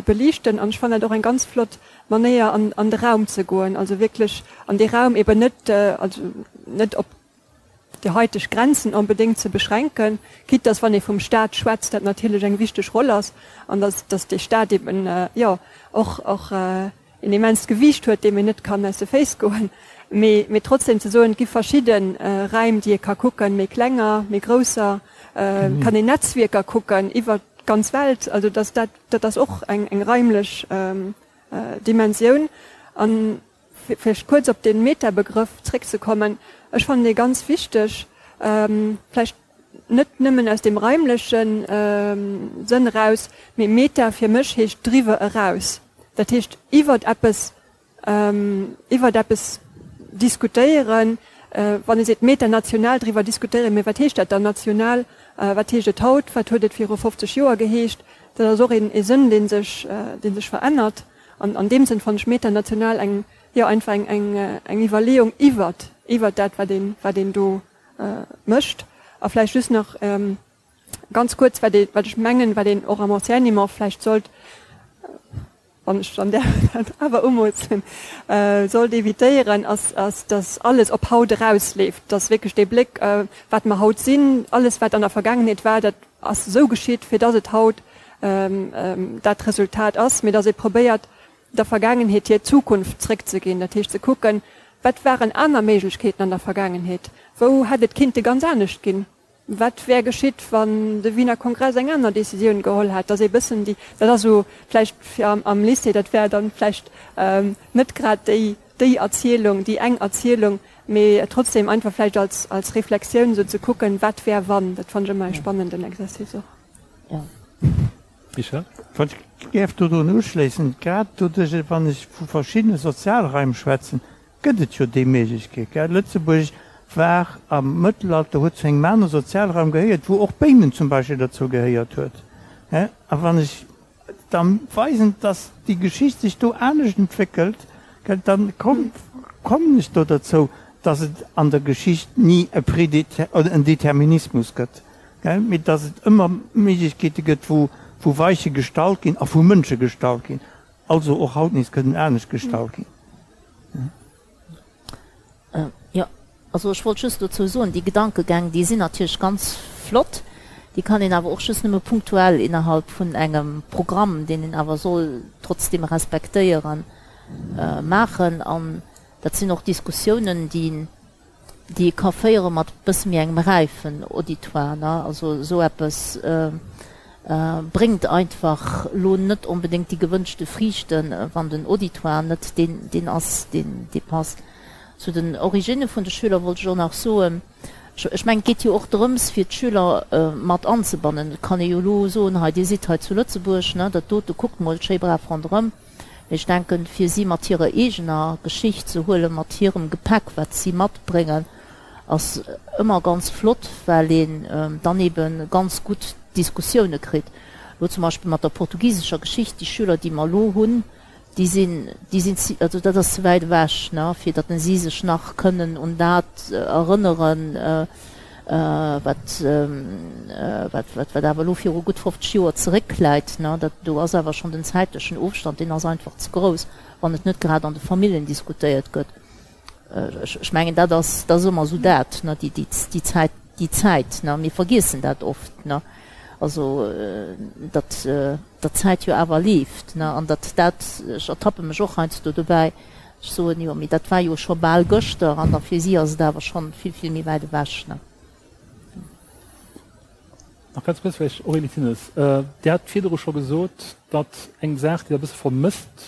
beliichten. An ech fannen dat och eng ganz flott Manéier, an de Raum ze goen, also wierklech an dee Raum eben net, also net op déi haiteg Grenzen onbedéngt ze beschränken, quitte dass, wann ee vum Stat schwätzt, dat natierlech eng wichteg Roll ass an dass, dass dee Stat eben, jo, och, och een immenst Gewiicht huet, deem een net kann aus de Féiss goen, mee, mee trotzdem ze soen, et gi verschidde Räim, déi ee ka kucken, méi klenger, méi grousser, et kann een Netzwierker kucken iwwert d'ganz Welt, also dass dat, dat ass och eng, eng raimlech Dimensioun. An Vläicht kuerz op de Metabegrëff zréckzekommen, Ech fannen dee ganz wichteg, vläicht net nëmmen aus deem raimleche Sënn eraus, mee Meta fir mech heescht driwwer eraus. Dat heescht iwwert eppes, iwwert eppes diskutéieren. Wann ee seet metanational driwwer diskutéieren, mee wat heescht dat dann national? Wat heescht et haut? Wat huet et viru 50 Joer geheescht? Dat ass och ee Sënn, dee sech, dee sech verännert. An an deem Sënn fannen ech metanational eng, jo, einfach eng, eng, eng Iwwerleeung iwwert, iwwert dat, wat een, wat een do mécht. A vläicht just nach ganz kuerz, wat ee, wat ech mengen, wat een och am Enseignement vläicht sollt, wann ech dann däerf dat awer umoossen, sollt évitéieren, ass, ass, dass alles op haut erausleeft, dass wierklech dee Bléck, wat mer haut sinn, alles wat an der Vergaangenheet war, dat ass esou geschitt, fir dass et haut dat Resultat ass, mee dass ee probéiert, der Vergaangenheet hir Zukunft zréckzeginn, dat heescht ze kucken, wat waren aner Méiglechkeeten an der Vergaangenheet, wou hätt et kinnte ganz anescht ginn, wat wär geschitt, wann de Wiener Kongress eng aner Décisioun geholl hätt, dass ee bëssen déi, dat ass esou vläicht fir am Lycée, dat wär dann vläicht net grad déi déi Erzielung, déi eng Erzielung, mee trotzdem einfach vläicht als als Reflexioun esou ze kucken, wat wär wann, dat fannen ech ëmmer e spannenden Exercice och. Jo. Michel? Wann ech däerf dodrun uschléissen, grad doduerch, wann ech vu verschiddene Sozialraim schwätzen, gëtt et jo déi Méiglechkeet, gell. Lëtzebuerg war am Mëttelalter, huet zu engem anere Sozialraum gehéiert, wou och Béimen zum Beispill derzou gehéiert huet. A wann ech da weisen, dass déi Geschicht sech do anescht entwéckelt, gell, da kommen ech do derzou, dass et an der Geschicht ni e oder en Determinismus gëtt, gell, mee dass et ëmmer Méiglechkeete gëtt, wou wou Weiche gestallt ginn a vu Mënsche gestallt ginn, also och haut nees kënnen anescht gestallt ginn. Jo, also ech wollt just dozou soen, déi Gedankegäng, déi sinn natierlech ganz flott, déi kann een awer och just nëmme punktuell innerhalb vun engem Programm, deen een awer soll trotzdeem respektéieren, maachen. An dat sinn och Diskussiounen, déi déi ee ka féiere mat e bësse méi engem räifen Auditoire, ne. Also esou eppes bréngt einfach elo net onbedéngt déi gewënschte Friichten, wann den Auditoire net deen deen ass, deen dee passt. Zu den Originne vun de Schüler wollt ech och nach soen, ech mengen, et geet jo och drëms, fir d'Schüler mat anzebannen. Et kann ee jo elo soen, hei Dir sidd hei zu Lëtzebuerg, ne, dat dote, kuckt mol schéi brav ronderëm. Mee ech denken, fir si mat hirer eegener Geschicht ze huelen, mat hirem Gepäck, wat si matbréngen, ass ëmmer ganz flott, well een dann ebe ganz gutt Diskussioune kritt. Elo zum Beispill mat der portugisescher Geschicht, déi Schüler, déi mer elo hunn, déi sinn, déi sinn, also dat ass ze wäit ewech, ne, fir datt si sech nach kënnen un dat erënneren, wat, wat, wat, wat awer elo viru gutt 50 Joer zeréckläit, ne. Dat, do ass awer schonn den zäitlechen Ofstand, deen ass einfach ze grouss, wann et net grad an de Familljen diskutéiert gëtt. Ech mengen, dat ass, dat ass ëmmer esou dat, ne, déi, déi, déi Zäit, déi Zäit, ne. Mir vergiessen dat oft, ne, also datt, datt d'Zäit jo awer leeft, ne, an datt dat, ech ertappe mech och heiansdo dobäi, ech soen, jo, mee dat war jo scho bal gëschter, an da fir si ass et awer schonn vill, vill méi wäit ewech, ne. Nach ganz kuerz vläicht, Aurélie Thinnes, Dir hat virdru scho gesot, datt eng Saach, déi Der e bësse vermësst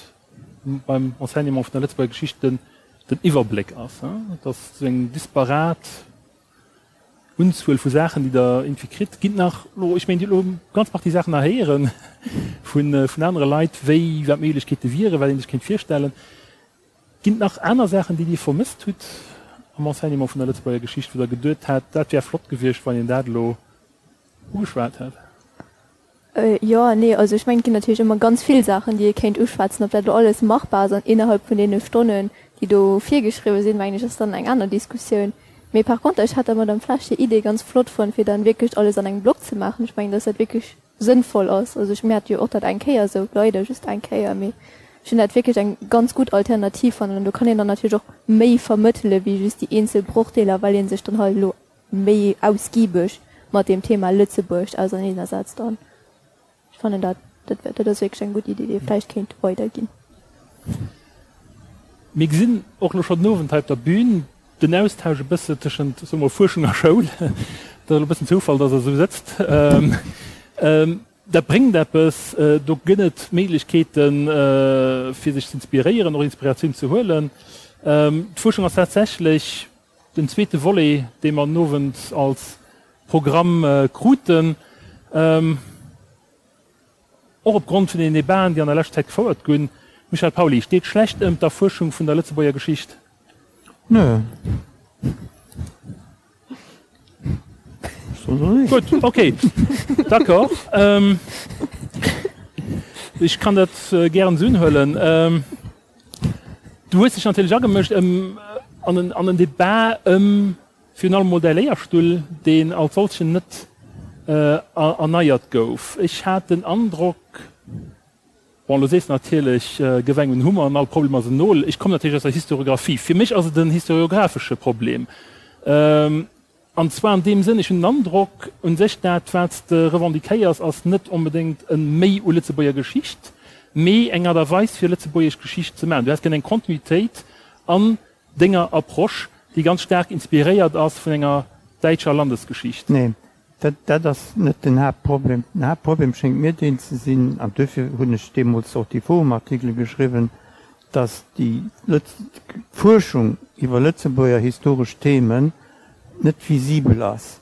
beim Enseignement vun der Lëtzebuerger Geschicht, den Iwwerbléck ass, datt esou eng disparat Unzuel vu Saachen, déi Der irgendwie kritt, ginn nach elo, ech mengen, Dir hutt elo eng ganz Partie Saachen nach héiere vun anere Leit, wéi, wat d'Méiglechkeete wieren, wat ee sech kéint virstellen. Ginn et nach aner Saachen, déi Dir vermësst hutt am Enseignement vun der Lëtzebuerger Geschicht, wou Der geduet hat, dat wär flott gewiescht, wann een dat elo ugeschwat hätt? Jo, nee, also ech mengen, et ginn natierlech ëmmer ganz vill Saachen, déi ee kéint uschwätzen. Ob dat elo alles machbar ass an innerhalb vun deene Stonnen, déi do virgeschriwwe sinn, mengen ech, ass dann eng aner Diskussioun. Mee par conter, ech hat der Madame Flesch hir Idee ganz flott fonnt, fir dann wierklech alles an engem Block ze maachen. Ech mengen, dass dat wierklech sënnvoll ass. Also ech, mir hate jo och dat eng Kéier esou, leider just eng Kéier, mee ech hunn dat wierklech eng ganz gutt Alternativ fannen. An do kann een dann natierlech och méi vermëttele wéi just déi eenzel Brochdeeler, well ee sech dann halt elo méi ausgiebeg mat deem Thema Lëtzebuerg auserneenersetzt. An ech fannen dat, dat, dat ass wierklech eng gutt Iddi, déi ee vläicht kéint weiderginn. Mir gesinn och elo schonn den Owend hei op der Bühn den Austausch e bësse tëschent, soe mer, Fuerschung a Schoul. Dat ass elo e bëssen Zoufall, dass Der esou sëtzt. Dat bréngt eppes. Do gëtt et Méiglechkeeten, fir sech z'inspiréieren, och Inspiratioun ze huelen. D'Fuerschung ass tatsächlech den zweete Volet, dee mer den Owend als Programm kruten. Och op Grond vun den Debaten, déi an der leschter Zäit gefouert gunn. Michel Pauly, steet schlecht ëm d'Erfuerschung vun der Lëtzebuerger Geschicht? Nö. Gutt, ok, d'accord. Ech kann dat gären esou unhuelen. Du hues dech natierlech agemëscht ëm an en Debat ëm Virun allem mol däi Léierstull, deen als solchen net erneiert gouf. Ech hat den Androck, bon, lo sees de natierlech, gëff engem en Hummer an all Problem ass en Nol. Ech kommen natierlech aus der Historiographie. Fir mech ass et en historiographesche Problem. An zwar an deem Sënn, ech hunn den Androck, u sech dat, wat s de revendiquéiers, ass net onbedéngt e Méi u Lëtzebuerger Geschicht, mee eng Aart a Weis, fir lëtzebuergesch Geschicht ze maachen. Du häss gär eng Kontinuitéit an denger Approche, déi ganz staark inspiréiert ass vun enger däitscher Landesgeschicht. Nee, dat, dat ass net den Haaptproblem. Den Haaptproblem schéngt mir deen ze sinn, an duerfir hunn ech deemools och déi Forum-Artikele geschriwwen, datt déi Lëtz-, d'Fuerschung iwwer Lëtzebuerger historesch Themen net visibel ass.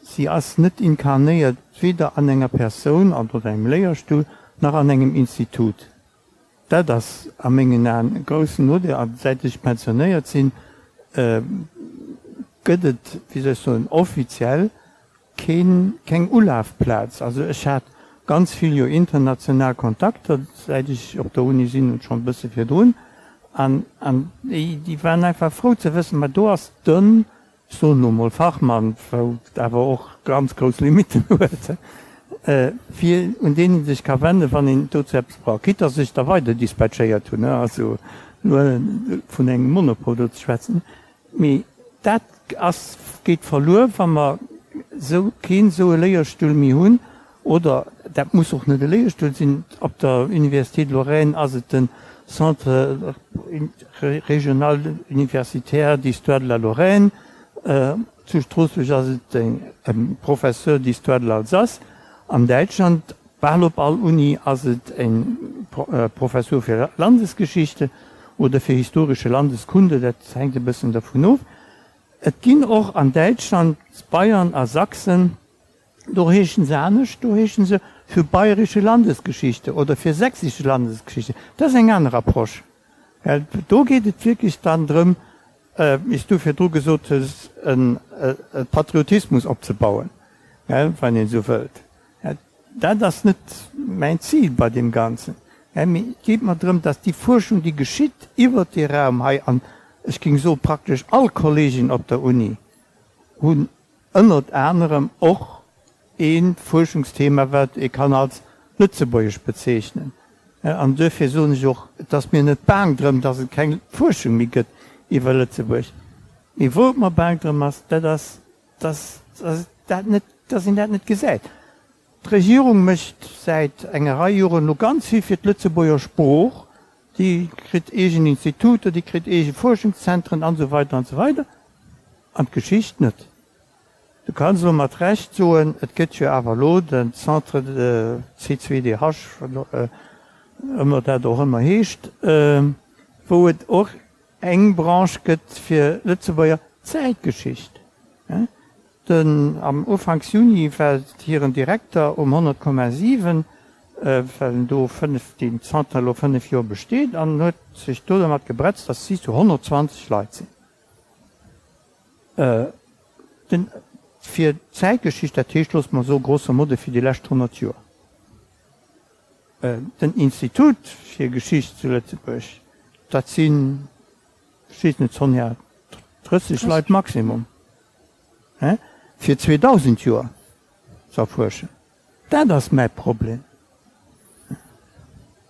Si ass net inkarnéiert, weder an enger Persoun an oder engem Léierstull, nach an engem Institut. Dat ass a mengen Aen e groussen Nodeel. A säit ech pensionéiert sinn, gëtt et, wéi soll ech soen, offiziell keen, keng Ulafplaz. Also ech hat ganz vill jo international Kontakter, säit ech op der Uni sinn und schonn e bësse virdrun. An, an déi, déi waren einfach frou ze wëssen, ma do ass den ech soen elo mol Fachmann, wou et awer och ganz grouss Limitten huet, fir un deen ee sech ka wenden, wann een dozou eppes brauch, quitte dass ech da weider dispatchéiert hunn, also elo vun engem Monopol do ze schwätzen. Mee dat ass, geet verluer, wa mer esou keen esou e Léierstull méi hunn, Oder dat muss och net e Léierstull sinn, op der Université de Lorraine ass et den Centre régional universitaire d'histoire de la Lorraine, zu Stroossbuerg ass et e Professeur d'histoire de l'Alsace, an Däitschland, bal op all Uni, ass et e Professur fir Landesgeschichte oder fir historische Landeskunde, dat hänkt e bëssen dervun of. Et ginn och an Däitschland, Bayern a Sachsen, Do heeschen se anescht, do heeschen se für bayerische Landesgeschichte oder für sächsische Landesgeschichte. Dat ass eng aner Approche, well do geet et wierklech dann drëm, wéi s du virdru gesot hues, e Patriotismus opzebauen, wann een esou wëllt. Dat ass net mäin Zil bei deem Ganzen, mee et geet mer drëm, dass déi Fuerschung, déi geschitt iwwert dee Raum hei, an ech géing soe praktesch all Kolleegen op der Uni hunn Ënnert anerem och ee Fuerschungsthema, wat ee kann als lëtzebuergesch bezeechnen. An duerfir soen ech och, et ass mir net baang drëm, datt et keng Fuerschung méi gëtt iwwer Lëtzebuerg. Mee wou et mer baang drëm ass, dat ass, datt dat net, datt een dat net gesäit. D'Regierung mécht säit enger Rei Joren elo ganz vill fir d'Lëtzebuerger Sprooch. Déi kritt eegen Instituter, déi kritt eege Fuerschungszentren an esou weider an esou weider. An d'Geschicht net. Du kanns elo mat Recht soen, et gëtt jo awer elo den Centre C2DH, wat ëmmer dat och ëmmer heescht, wou et och eng Branche gëtt fir Lëtzebuerger Zäitgeschicht. Den am Ufanks Juni war hiren Direkter um 100,7, well en do 5, deen Centre elo 5 Joer besteet, an huet sech do dermat gebretzt, datt si zu 120 Leit sinn. Den fir d'Zäitgeschicht, dat heescht, loosse mer soe grosso modo fir déi lescht 100 Joer. Den Institut fir Geschicht zu Lëtzebuerg, dat sinn, ech weess net, Sonja, 30 Leit maximum, fir 2.000 Joer ze erfuerschen. Dat ass mäi Problem.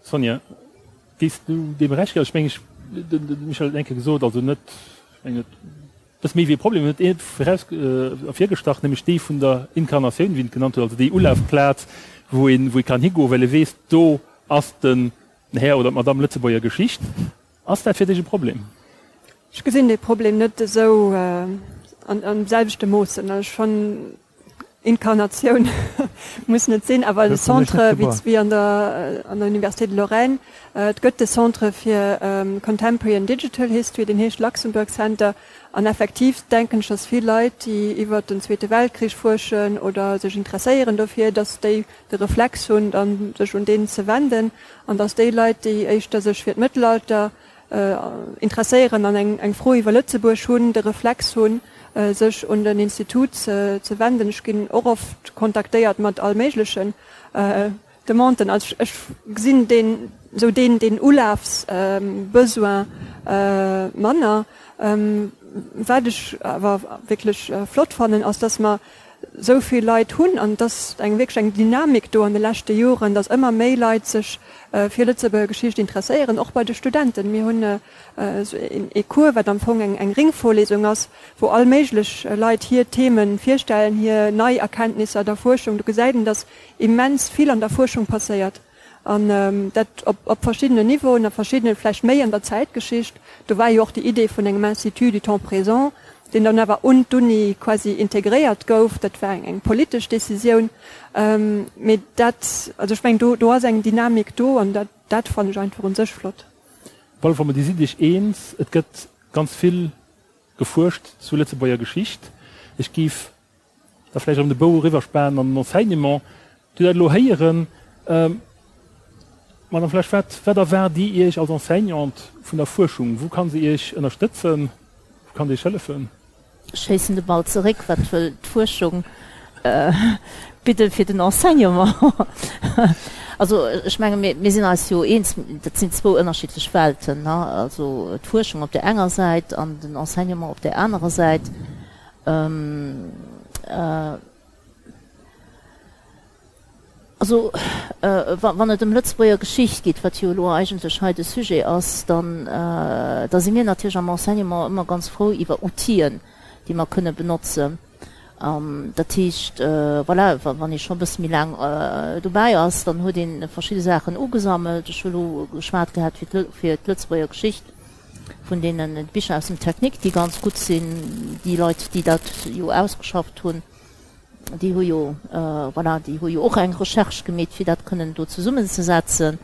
Sonja, géifs du deem Recht ginn? Also ech mengen, ech, de Michel huet et eng Kéier gesot, also net, ech mengen, et bësse méi wéi e Problem, en huet ee viraus, ervirgestach, nämlech dee vun der Inkarnatioun, wéi en et genannt huet, also déi Ulafplaz, wou een, wou ee kann higoen, well e weess, do ass den Här oder d'Madame Lëtzebuerger Geschicht. Ass dat fir dech e Problem? Ech gesinn dee Problem net esou an am selwechte Moossen. Also ech fannen, Inkarnatioun muss net sinn, awer e Centre wéi an der an der Université de Lorraine, et gëtt de Centre fir Contemporary and Digital History, deen heescht Luxembourg Center. An effektiv denken ech, datt vill Leit, déi iwwert den Zweete Weltkrich fuerschen oder sech interesséieren dofir, datt déi de Reflex hunn, dann sech un deen ze wenden, an datt déi Leit, déi éischter sech fir d'Mëttelalter interesséieren an eng Fro iwwer Lëtzebuerg hunn, de Reflex hunn, sech un den Institut ze wenden. Ech ginn och oft kontaktéiert mat all méiglechen Demanden. Also ech gesinn deen, esou deen, deen Ulafsbesoin manner. Wat ech awer wierklech flott fannen, ass, datt mer esou vill Leit hunn an et ass eng wierklech eng Dynamik do an de leschte Joren, datt ëmmer méi Leit sech fir Lëtzebuerger Geschicht interesséieren, och bei de Studenten. Mir hunn esou ee Cours, wat am Fong eng Ringvorlesung ass, wou all méiglech Leit hir Themen virstellen, hir nei Erkenntnisser der Fuerschung. Do gesäit een, datt immens vill an der Fuerschung passéiert. An dat op verschiddenen Niveauen, a verschiddenen, vläicht méi an der Zäitgeschicht. Do war jo och déi Idee vun engem Institut du temps présent, deen dann awer un d'Uni quasi integréiert gouf. Dat war eng politesch Décisioun. Mee dat, also ech mengen, do, do ass eng Dynamik do an dat, dat fannen ech einfach u sech flott. Op alle Fall, Dir sidd Iech eens, et gëtt ganz vill gefuerscht zu Lëtzebuerger Geschicht. Ech géif da vläicht erëm de Bou eriwwerspanen an den Enseignement. Dir dat elo héieren, Madame Flesch, wat, wat erwaart Dir Iech als Enseignante vun der Fuerschung? Wou kann se Iech ënnerstëtzen? Wou kann se Iech hëllefen? Ech schéissen de Ball zeréck, Wat wëll d'Fuerschung bidde fir den Enseignement? Also ech menge mir, mir sinn eis jo eens, dat sinn zwou ënnerschiddlech Welten, also d'Fuerschung op där enger Säit an den Enseignement op där anerer Säit. Also, wann et ëm Lëtzebuerger Geschicht geet, wat jo elo eigentlech hei de Sujet ass, dann, da si mir natierlech am Enseignement ëmmer ganz frou iwwer Outiller, déi mer kënne benotzen. Dat heescht, voilà, wann ee scho e bësse méi laang dobäi ass, dann huet ee verschidde Saachen ugesammelt. Ech hu elo geschwat gehat fir d'Lëtzebuerger Geschicht. vun deenen Bicher aus dem Technique, déi ganz gutt sinn, déi Leit, déi dat jo ausgeschafft hunn, déi hu jo, voilà, déi hu jo och eng Recherche gemeet, fir dat kënnen do zesummenzesetzen.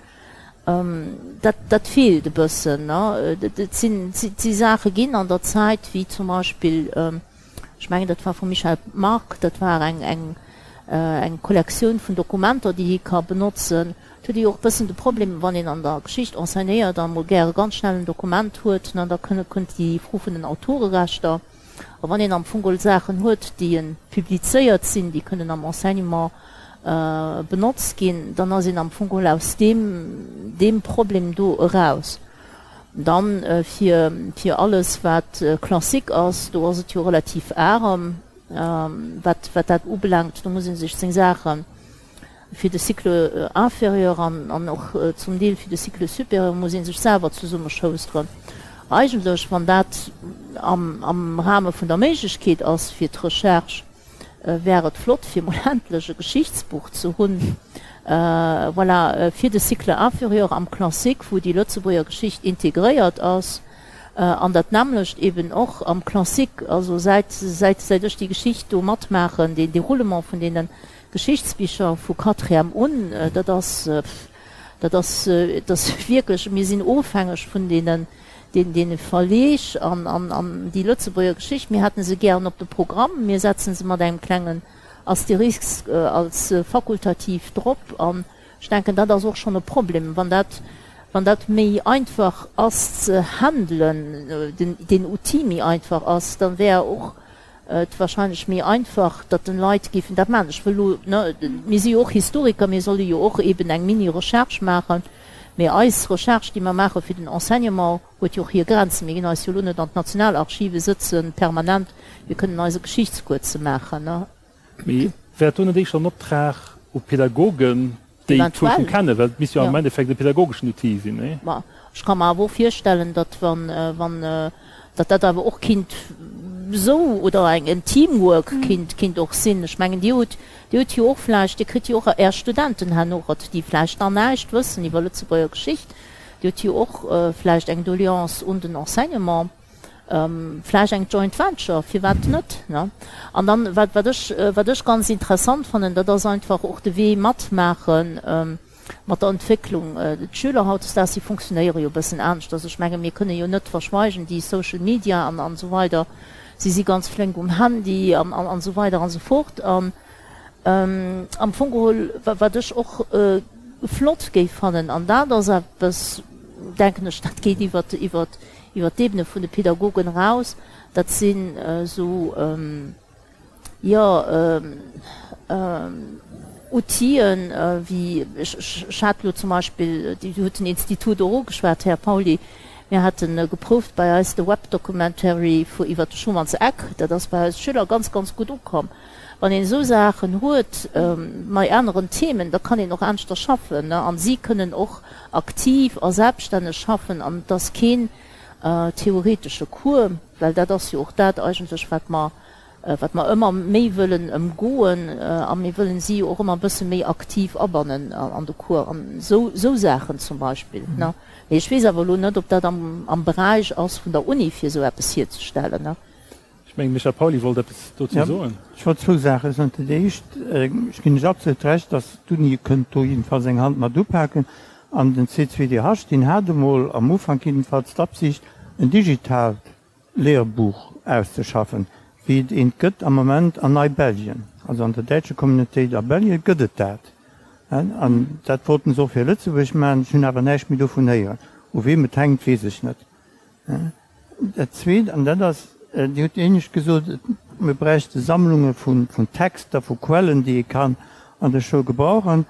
Dat, dat feelt e bëssen, ne. Et sinn, et si Saache ginn an der Zäit, wéi zum Beispill, ech mengen, dat war vum Michel Margue, dat war eng, eng, eng Kollektioun vun Dokumenter, déi hie ka benotzen. Et huet ee jo och e bëssen de Problem, wann een an der Geschicht enseignéiert a mol gäre ganz schnell en Dokument huet, ne, da kënne kënnt déi Fro vun den Autorerechter. A wann een am Fong geholl Saachen huet, déi en publizéiert sinn, déi kënnen am Enseignement benotzt ginn, dann ass een am Fong geholl aus deem deem Problem do eraus. Dann fir fir alles wat Classique ass, do ass et jo relativ arem, wat wat dat ubelaangt. Do muss ee sech seng Saachen Fir de Cycle inférieur an och zum Deel fir de Cycle supérieur muss ee sech selwer zesummeschousteren. Eigentlech, wann dat am Rahme vun der Méiglechkeet ass fir d'Recherche, wär et flott, fir emol endlech e Geschichtsbuch ze hunn, voilà, fir de Cycle inférieur am Classique, wou déi Lëtzebuerger Geschicht integréiert ass. An dat nämmlecht eben och am Classique. Also säit, säit, säit ech déi Geschicht do matmaachen, deen Déroulement vun deene Geschichtsbicher vu Quatrième un, dat ass, dat ass, dat ass wierklech, mir sinn ofhängeg vun deenen, deene Verleeg an, an, an déi Lëtzebuerger Geschicht, mir hätte se gären op de Programm, mir setze se mat engem klengen Astérisque als fakultativ drop. An ech denken, dat ass och schonn e Problem, wann dat, wann dat méi einfach ass ze handelen, den, deen Outil méi einfach ass, da wär och et wahrscheinlech méi einfach, datt den Leit géifen dat maachen. Ech wëll elo, ne, mir si jo och Historiker, mir solle jo och eben eng Mini-Recherche maachen, mee eis Recherche, déi mer maache fir den Enseignement, huet jo och hir Grenzen. Mir ginn eis jo elo net an d'Nationalarchive sëtzen permanent, fir kënnen eise Geschichtscours ze maachen, ne. Mee wär et do net éischter en Optrag u Pädagogen, déi d'Fuerschung kennen? Well et misst jo am Endeffekt e pädagogeschen Outil sinn, nee? Ma ech ka mer awer och virstellen, datt wann, wann, datt dat awer och kinnt esou oder eng, en Teamwork kinnt, kinnt och sinn. Ech mengen, Dir hutt, Dir hutt jo och vläicht, Dir kritt jo och Är Studenten herno, déi vläicht nach näischt wëssen iwwer Lëtzebuerger Geschicht. Dir hutt jo och vläicht eng Doleance un den Enseignement. Vläicht eng Joint Venture, firwat net, ne? An dann, wat, wat ech, wat ech ganz interessant fannen, dat ass einfach och de Wee matmaache mat der Entwécklung. D'Schüler hautdesdaags, déi funktionéiere jo e bëssen aneschters. Ech menge mir kënne jo net verschweigen, déi Social Media an, an esou weider, si si ganz flénk um Handy an, an, an esou weider an esou fort. An am Fong geholl, wat ech och flott géif fannen, an dat ass eppes, denken ech, dat geet iwwert, iwwert, iwwer d'Ebene vun de Pädagogen eraus, dat sinn esou, jo, Outile wéi, ech hat elo zum Beispill, Dir hutt den Institut och ugeschwat, Här Pauly, mir hate geprouft bei eis de Webdocumentary vu iwwer de Schumann's Eck, dat ass bei eis Schüler ganz, ganz gutt ukomm. Wann een esou Saachen huet, mei aneren Themen, da kann een och aneschter schaffen an si kënnen och aktiv a selbststänneg schaffen an et ass keen theoretesche Cours, well dat ass jo och dat eigentlech, wat mer, wat mer ëmmer méi wëllen ëmgoen a mir wëllen si jo och ëmmer e bësse méi aktiv abannen an de Cours an esou, esou Saachen zum Beispill. Mee ech weess awer elo net, ob dat am, am Beräich ass vun der Uni, fir esou eppes hierzestellen. Ech mengen, Michel Pauly wollt eppes dozou soen. Ech wollt zwou Saache soen. Dat éischt, ech ginn lech absolut Recht, datt d'Uni kënnt do jiddefalls eng Hand mat upaken. An den C2DH, deen hat emol am Ufank jiddefalls d'Absicht, en digitaalt Lehrbuch auszeschaffen, wéi et eent gëtt am Moment an Neibelgien. Also an der däitscher Communautéit a Belgien gëtt et dat. An dat wollten se och fir Lëtzebuerg maachen. Ech hunn awer näischt méi dovun héieren. U weem et hänkt, weess ech net. Dat Zweet, an dat ass, Dir hutt éinescht gesot, mir bräichte Sammlunge vun Texter, vu Quellen, déi ee kann an der Schoul gebrauchen.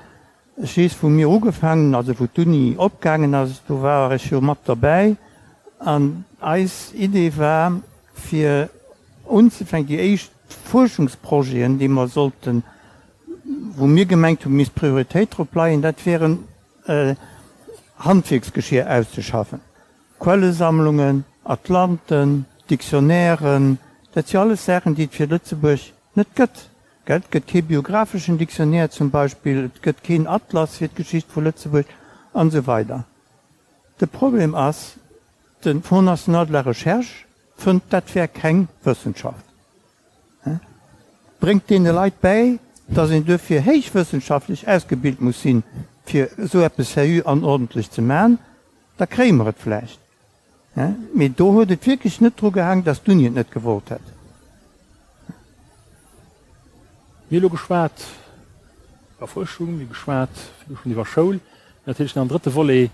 Ech weess, wou mir ugefaangen hunn, also wou d'Uni opgaangen ass, do war ech jo mat derbäi, an eis Idee war, fir unzefänken, déi éischt Fuerschungsprojeten, déi mer sollten, wou mir gemengt hunn, misst d'Prioritéit drop leien, dat wären Handwierksgeschier auszeschaffen. Quellesammlungen, Atlanten, Dictionnairen, dat si alles Saachen, déi et fir Lëtzebuerg net gëtt. Gell, et gëtt kee biographeschen Dictionnaire zum Beispill, et gëtt keen Atlas fir d'Geschicht vu Lëtzebuerg an esou weider. De Problem ass, de Fonds national de la recherche fënnt, dat wär keng Wëssenschaft. Bréngt deene Leit bäi, datt een duerfir héichwëssenschaftlech ausgebilt muss sinn, fir esou eppes seriö an ordentlech ze man. Da kréie mer et vläicht. Mee do huet et wierklech net dru gehaang, datt d'Uni et net gewollt hätt. Mir hu elo geschwat iwwer Fuerschung, mir hu geschwat virdu schonn iwwer Schoul. Mir hunn natierlech nach en drëtte Volet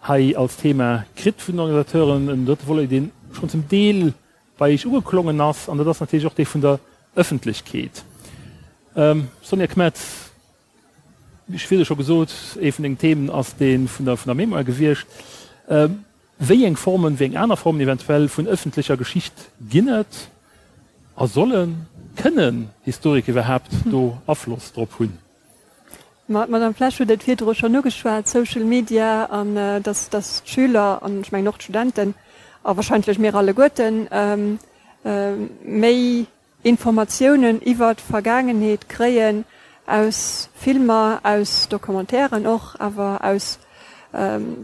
hei als Thema kritt vun den Organisateuren, en drëtte Volet, dee schonn zum Deel bei Iech ugeklongen ass, an dat ass natierlech och dee vun der Ëffentlechkeet. Sonja Kmetz, Ech hu virdu scho gesot, ee vun dengen Themen ass dee vun der vun der Mémoire gewiescht. Wéi eng Formen, wéi eng aner Formen eventuell vun ëffentlecher Geschicht ginn et a sollen, kënnen Historiker iwwerhaapt do Afloss drop hunn? Ma d'Madame Flesch huet et virdru schonn ugeschwat, Social Media an dass dass d'Schüler an ech mengen och d'Studenten a wahrscheinlech mir alleguerten méi Informatiounen iwwer d'Vergaangenheet kréien aus Filmer, aus Documentairen och, awer aus.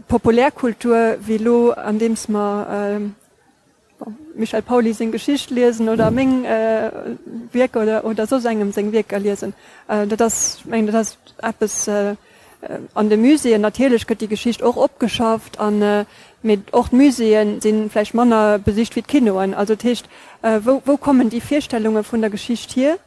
Populärkultur wéi elo andeems mer Michel Pauly seng Geschicht liesen oder meng Wierker oder soss engem seng Wierker liesen. Dat ass, ech mengen, dat ass eppes an de Muséeën. Natierlech gëtt déi Geschicht och opgeschafft an, mee och d'Muséeë si vläicht manner besicht wéi d'Kinoen. Also dat heescht, wou, wou kommen déi Virstellunge vun der Geschicht hier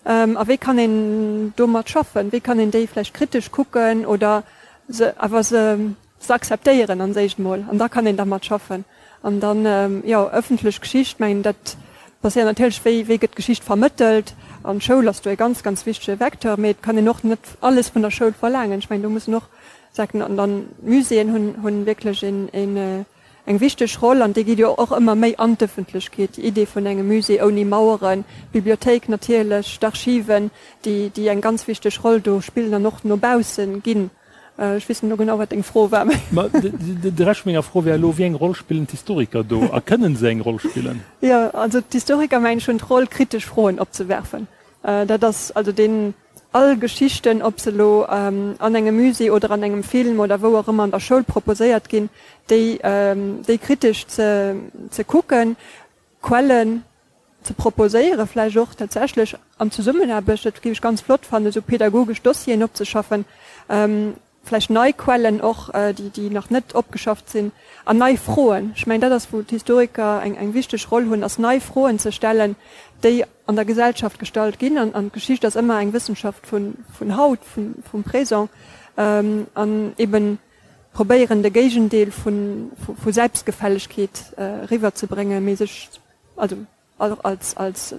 a wéi kann een domat schaffen? Wéi kann een déi vläicht kritesch kucken oder se awer se se akzeptéieren an éischt emol an da kann een dermat schaffen. An dann, jo, ëffentlech Geschicht, mengen dat passéiert natierlech, wéi wéi gëtt d'Geschicht vermëttelt an d'Schoul ass do e ganz, ganz wichtege Vecteur, mee et kann een och net alles vun der Schoul verlaangen. Ech mengen do mussen och Säiten an dann d'Muséeën hunn hunn wierklech een een eng wichteg Roll an déi geet jo och ëmmer méi an d'Ëffentlechkeet, déi Idee vun engem Musée ouni Maueren, d'Bibliothéik natierlech, d'Archiven, déi déi eng ganz wichteg Roll do spillen an och no baussen ginn. Ech weess net elo genau, wat deng Fro war. Ma de Rescht vu menger Fro wär elo, Wéi eng Roll spillen d'Historiker do a kënnen se eng Roll spillen? Jo, also d'Historiker, mengen ech, hunn d'Roll, kritesch Froen opzewerfen. Dat ass also deen, all Geschichten, ob se elo an engem Musée oder an engem Film oder wou och ëmmer an der Schoul proposéiert ginn, déi, déi kritesch ze, ze kucken, Quellen ze proposéieren, vläicht och tatsächlech an Zesummenaarbecht, dat géif ech ganz flott fannen, esou pedagogesch Dossieren opzeschaffen, vläicht nei Quellen och, déi, déi nach net opgeschafft sinn, an nei Froen. Ech mengen, dat ass, wou d'Historiker eng, eng wichteg Roll hunn, ass nei Froen ze stellen, déi an der Gesellschaft gestallt ginn. An, an d'Geschicht ass ëmmer eng Wëssenschaft vun, vun haut, vun, vum Présent, an eben probéieren de Géigendeel vu Selbstgefällegkeet eriwwer ze bréngen, mee sech also och als als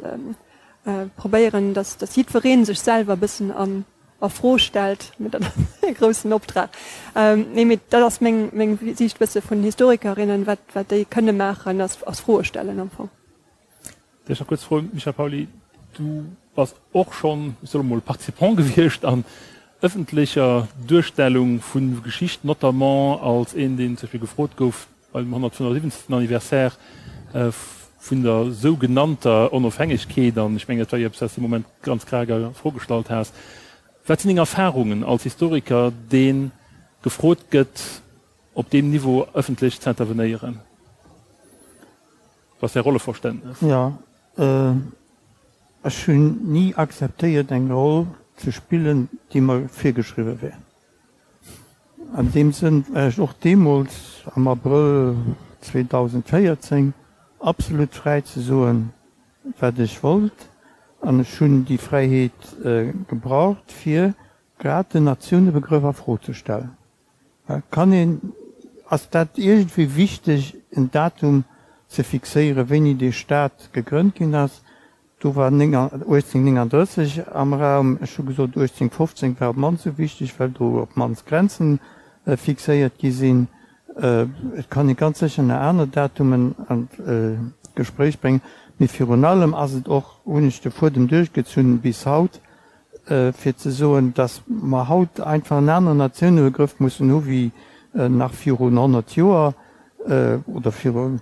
probéieren, datt datt jiddweree sech selwer e bëssen an a Fro stellt. Mee dat ass e groussen Optrag. Nee, mee dat ass meng meng Siicht bësse vun Historikerinnen, wat wat déi kënne maachen, ass ass Froe stellen am Fong. Dech nach kuerz froen, Michel Pauly, du bass och schonn, ech soe mol, Participant gewiescht an ëffentlecher Duerstellung vu Geschicht, notamment als een, deen zum Beispill gefrot gouf beim 175. Anniversaire vun der sougenannter Onofhängegkeet, an ech mengen, dat war jo eppes, wat s de dee Moment ganz krak a Fro gestallt has. Wat sinn deng Erfarungen als Historiker, dee gefrot gëtt, op deem Niveau ëffentlech ze intervenéieren? Wat ass Är Rolleverständnes? Jo, ech hunn ni akzeptéiert eng Roll ze spillen, déi mer virgeschriwwe wär. An deem Sënn war ech och deemools am Abrëll 2014 absolut fräi ze soen, wat ech wollt. An ech hunn déi Fräiheet gebraucht, fir grad den Natiounebegrëff a Fro ze stellen. Kann een, ass dat iergendwéi wichteg en Datum ze fixéieren, wéini dee Staat gegrënnt ginn ass? Do war 1839 am Raum. Ech hu gesot, 1815 war op d'mannst esou wichteg, well do op d'mannst Grenze fixéiert gi sinn. Et kann ee ganz sécher nach aner Datumen an d'Gespréich bréngen, mee virun allem ass et och, hunn ech de Fuedem duerchgezunn bis haut, fir ze soen, datt mer haut einfach en aneren Natiounebegrëff mussen hu wéi nach virun 100 Joer oder virun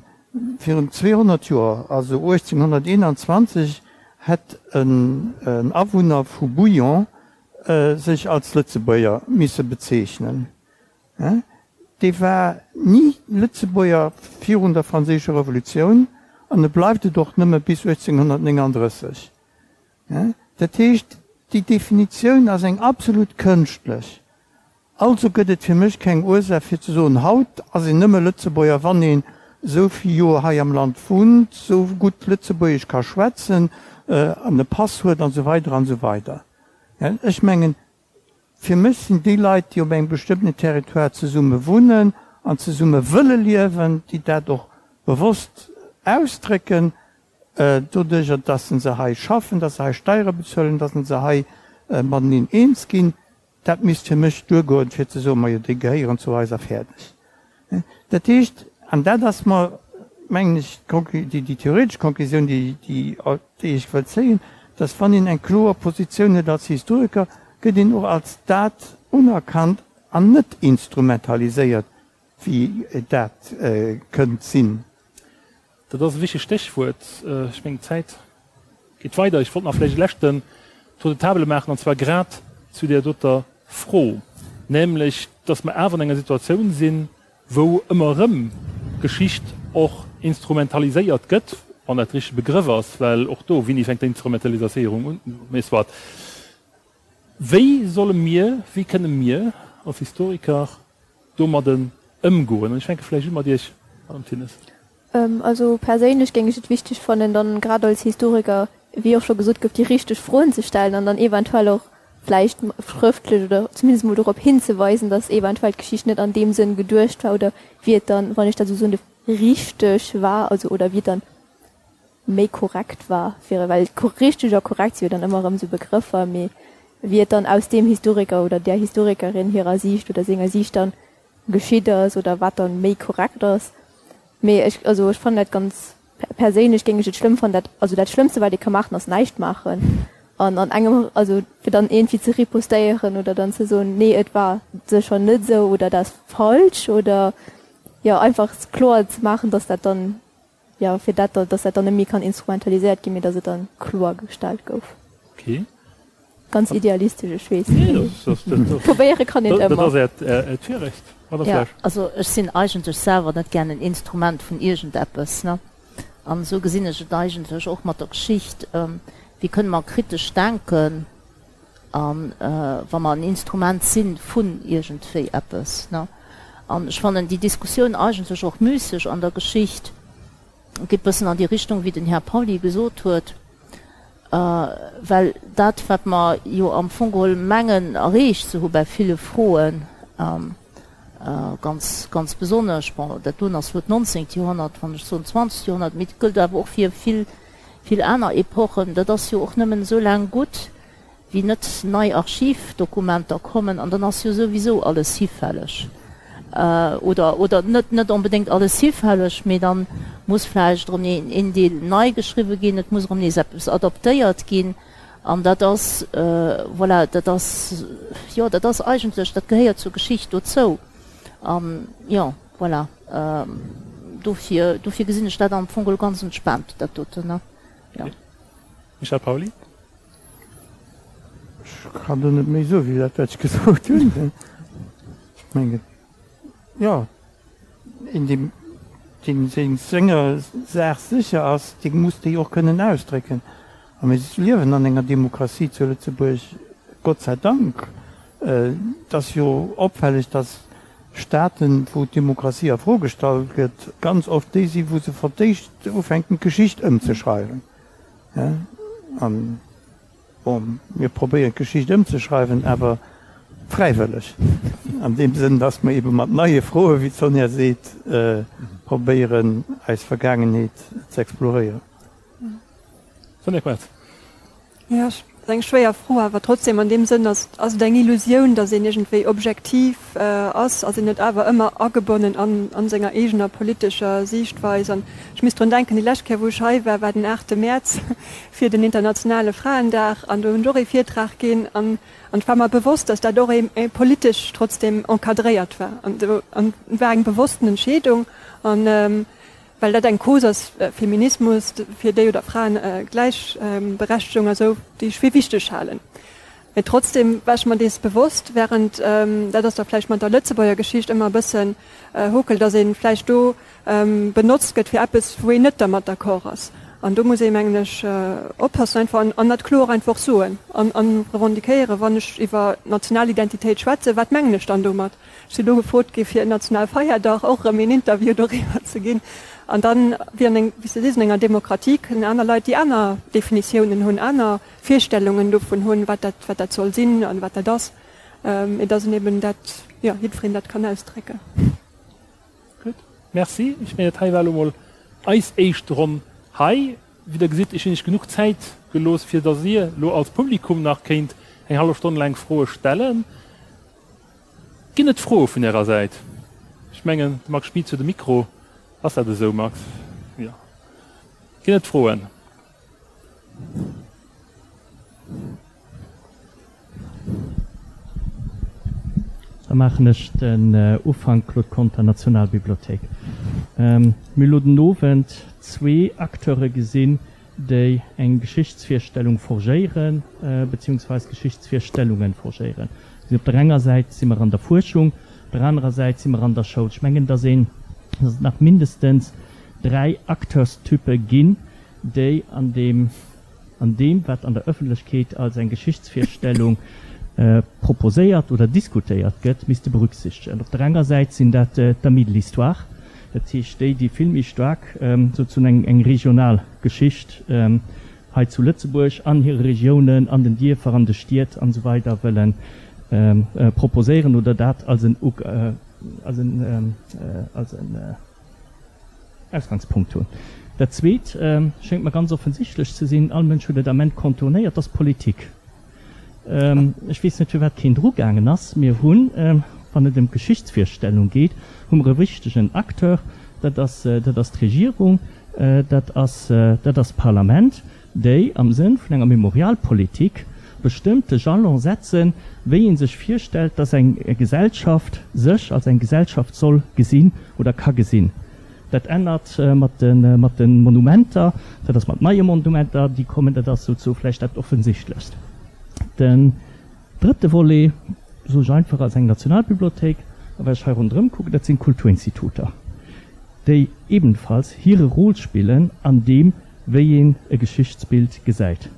200 Joer. Also 1821 hätt en Awunner vu Bouillon sech als Lëtzebuerger misse bezeechnen. Dee war ni Lëtzebuerger virun der Franséischer Revolutioun an e bleift et och nëmme bis 1839. Dat heescht, déi Definitioun ass eng absolut kënschtlech. Also gëtt et fir mech keng Ursaach fir ze soen, haut ass een nëmme Lëtzebuerger, wann een esou vill Joer hei am Land wunnt, esou gutt Lëtzebuergesch ka schwätzen an e Pass huet an esou weider an esou weider. Ech mengen, fir mech sinn déi Leit, déi op engem bestëmmtene Territoire zesumme wunnen an zesumme wëlle liewen, déi dat och bewosst ausdrécken, Doduercher, dass se hei schaffen, dass se hei Steiere bezuelen, dass se hei mateneen eens ginn, dat misst fir mech duergoen, fir ze soen, majo, déi gehéieren zu eis a fäerdeg. Dat heescht, an dat ass mer, mengen ech, déi theoretesch Konklusioun, déi ech wëll zéien, dass wann een eng kloer Positioun huet als Historiker, gëtt een och als dat unerkannt an net instrumentaliséiert, wéi dat kënnt sinn. Dat ass e wichtegt Stéchwuert. Ech mengen, d'Zäit geet weider. Ech wollt nach vläicht e leschten Tour de table maachen, an zwar grad zu där doter Fro. Nämlech, dass mer awer an enger Situatioun sinn, wou ëmmer erëm Geschicht och instrumentaliséiert gëtt, wann dat de richtege Begrëff ass, well och do, wéini fänkt d'Instrumentalisaéierung un, mee soit. Wéi solle mir, wéi kënne mir als Historiker domadden ëmgoen? An ech fänke vläicht u mat Iech, Madame Thinnes. Also perséinlech géing ech et wichteg fannen, dann grad als Historiker, wéi och scho gesot gouf, déi richteg Froen ze stellen an dann eventuell och vläicht schrëftlech oder zumindest emol dorop hinzeweisen, dass eventuell d'Geschicht net an deem Sënn geduecht war oder wéi et dann, wann ech dat esou soen duerf, richteg war, also oder wéi et dann méi korrekt war, fir, well richteg a korrekt si jo dann ëmmer erëm esou Begrëffer, mee wéi et dann aus deem Historiker oder där Historikerin hirer Siicht oder senger Siicht dann geschitt ass oder wat dann méi korrekt ass. Mee ech, also ech fannen dat ganz, perséinlech géing ech et schlëmm fannen, dat, also dat Schlëmmste wat ee ka maachen ass näischt maachen an an engem, also fir dann iergendwéi ze ripostéieren oder dann ze soen, nee et war sécher net esou oder dat ass falsch oder jo einfach kloer ze maachen, datt dat dann Jo, fir dat, dass dat dann net méi kann instrumentaliséiert ginn, mee dass et dann kloergestallt gouf. Okay. Ganz idealistesch, ech weess. Nee, dat, dat, dat, Probéiere kann een dat ëmmer. ass Äert, Äert Virrecht, Madame Ja, Flesch. also ech sinn eigentlech selwer net gär en Instrument vun iergendeppes, ne? An esou gesinn ech et eigentlech och mat der Geschicht. Wéi kënne mer kritesch denken, a wa mer en Instrument si vun iergendwéi eppes, ne? An ech fannen déi Diskussioun eigentlech och müsseg an der Geschicht, geet bëssen an déi Richtung, wéi den Här Pauly gesot huet, well dat, wat mer jo am Fong geholl mengen erreecht ze hu bei ville Froen, ganz, ganz besonnesch, bon, dat doen ass elo d'nonzéngt Joerhonnert, wann ech soen zwanzegt Joerhonnert, mee et gëllt awer och fir vill, vill aner Epochen, dat ass jo och nëmmen esou laang gutt, wéi net nei Archivdokumenter kommen, an dann ass jo souwisou alles hifälleg, oder, oder net, net onbedéngt alles hifälleg, mee dann muss vläicht erëm een, een Deel nei geschriwwe ginn, et muss erëm nees eppes adaptéiert ginn, an dat ass, voilà, dat ass, jo, dat ass eigentlech, dat gehéiert zur Geschicht dozou, an, jo, voilà, dofir, dofir gesinn ech dat am Fong geholl ganz entspaant, dat doten, ne, jo. Michel Pauly. Ech kann do net méi soe wéi dat wat ech gesot hunn. Ech mengen, jo, een deen deen seng senger Saach sécher ass, dee muss déi och kënnen ausdrécken. A mir liewen an enger Demokratie zu Lëtzebuerg, Gott sei Dank. Et ass jo opfälleg, datt Staaten, wou d'Demokratie a Fro gestallt gëtt, ganz oft déi sinn, wou se fir d'éischt ufänken d'Geschicht ëmzeschreiwen. An, bon, mir probéieren d'Geschicht ëmzeschreiwen, awer fräiwëlleg, an deem Sënn, dass mer eebe mat neie Froen, wéi d'Sonja seet, probéieren eis Vergaangenheet ze exploréieren. Sonja Koerz. Jo, ass eng schwéier Fro, awer trotzdem an deem Sënn ass ass et eng Illusioun, datt een iergendwéi objektiv ass, ass een net awer ëmmer agebonnen an an senger eegener politescher Siichtweis. An ech misst drun denken, déi lescht Kéier wou ech hei war, war den aachte Mäerz fir den internationale Fraendag an do hunn ech och ee Virtrag ginn an an et war mer bewosst, datt dat och ee politesch trotzdem encadréiert war an do an war eng bewossten Entscheedung an well dat eng Cause ass, Feminismus, fir déi oder Fraen Gläichberechtegung a sou, déi ech fir wichteg halen. Mee trotzdem war ech mer dees bewosst, während, dat ass da vläicht mat der Lëtzebuerger Geschicht ëmmer e bëssen hokel, datt ee vläicht do benotzt gëtt fir eppes, wou een net dermat d'accord ass. An do muss ee, mengen ech, oppassen einfach an dat kloer einfach soen an revendiquéieren, wann ech iwwer national Identitéit schwätzen, wat mengen ech dann domat? Ech sinn elo gefrot gi fir en Nationalfeierdag och erëm een Interview doriwwer ze ginn. An dann, wéi an eng, wéi s de sees, an enger Demokratie kënnen aner Leit, déi aner Definitiounen hunn, aner Virstellungen dovun hunn, wat dat, wat dat soll sinn an wat dat ass, mee dass een eben dat, jo, jiddwereen dat kann ausdrécken. Gutt, merci. Ech mengen, dat hei war elo mol eis éischt Ronn hei. Wéi Der gesitt, ech hunn Iech genuch Zäit gelooss, fir dass Dir elo als Publikum nach kéint eng hallef Stonn laang Froe stellen. Ginn et Froe vun Ärer Säit? Ech mengen, de Max Schmit huet e Mikro. Ass dat esou, Max? Jo. Ginn et Froen? Da maachen ech den Ufank, Claude Conter, Nationalbibliothéik. Mir hu lo den Owend zwee Acteure gesinn, déi eng Geschichtsvirstellung forgéieren, beziehungsweis Geschichtsvirstellungen forgéieren. Sinn op der enger Säit si mer an der Fuerschung, op der anerer Säit si mer an der Schoul. Ech mengen, dass een, dass et nach mindestens 3 Acteurstype ginn, déi an deem, an deem, wat an der Öffentlechkeet als eng Geschichtsvirstellung proposéiert oder diskutéiert gëtt, misste berücksichtegen. Op der enger Säit sinn dat d'Amis de l'histoire, dat heescht déi, déi vill méi staark sozusagen eng, eng regional Geschicht hei zu Lëtzebuerg an hire Regiounen, an den Dierfer, an de Stied an esou weider wëlle proposéieren oder dat als en, als en, als en Ausgangspunkt hunn. Dat Zweet schéngt mer ganz offensichtlech ze sinn, all Mënsch huet et am Ament contournéiert, dat ass d'Politik. Ech weess net, firwat keen drugaangen ass. Mir hunn, wann et ëm d'Geschichtsvirstellung geet, hu mer e wichtegen Acteur, dat ass, dat ass d'Regierung, dat ass, dat ass d'Parlament, déi am Sënn vun enger Memorialpolitik bestëmmte Jalon setzen, wéi ee sech virstellt, dass eng Gesellschaft sech als eng Gesellschaft soll gesinn oder ka gesinn. Dat ännert mat de mat de Monumenter, dat ass mat neie Monumenter, déi kommen, dat ass souzesoe vläicht dat Offensichtlechst. Den drëtte Volet, soe ech einfach, ass eng Nationalbibliothéik. A wat ech hei ronderëm kucken, dat sinn d'Kulturinstituter, déi ebenfalls hire Rôle spillen an deem, wéi een e Geschichtsbild gesäit.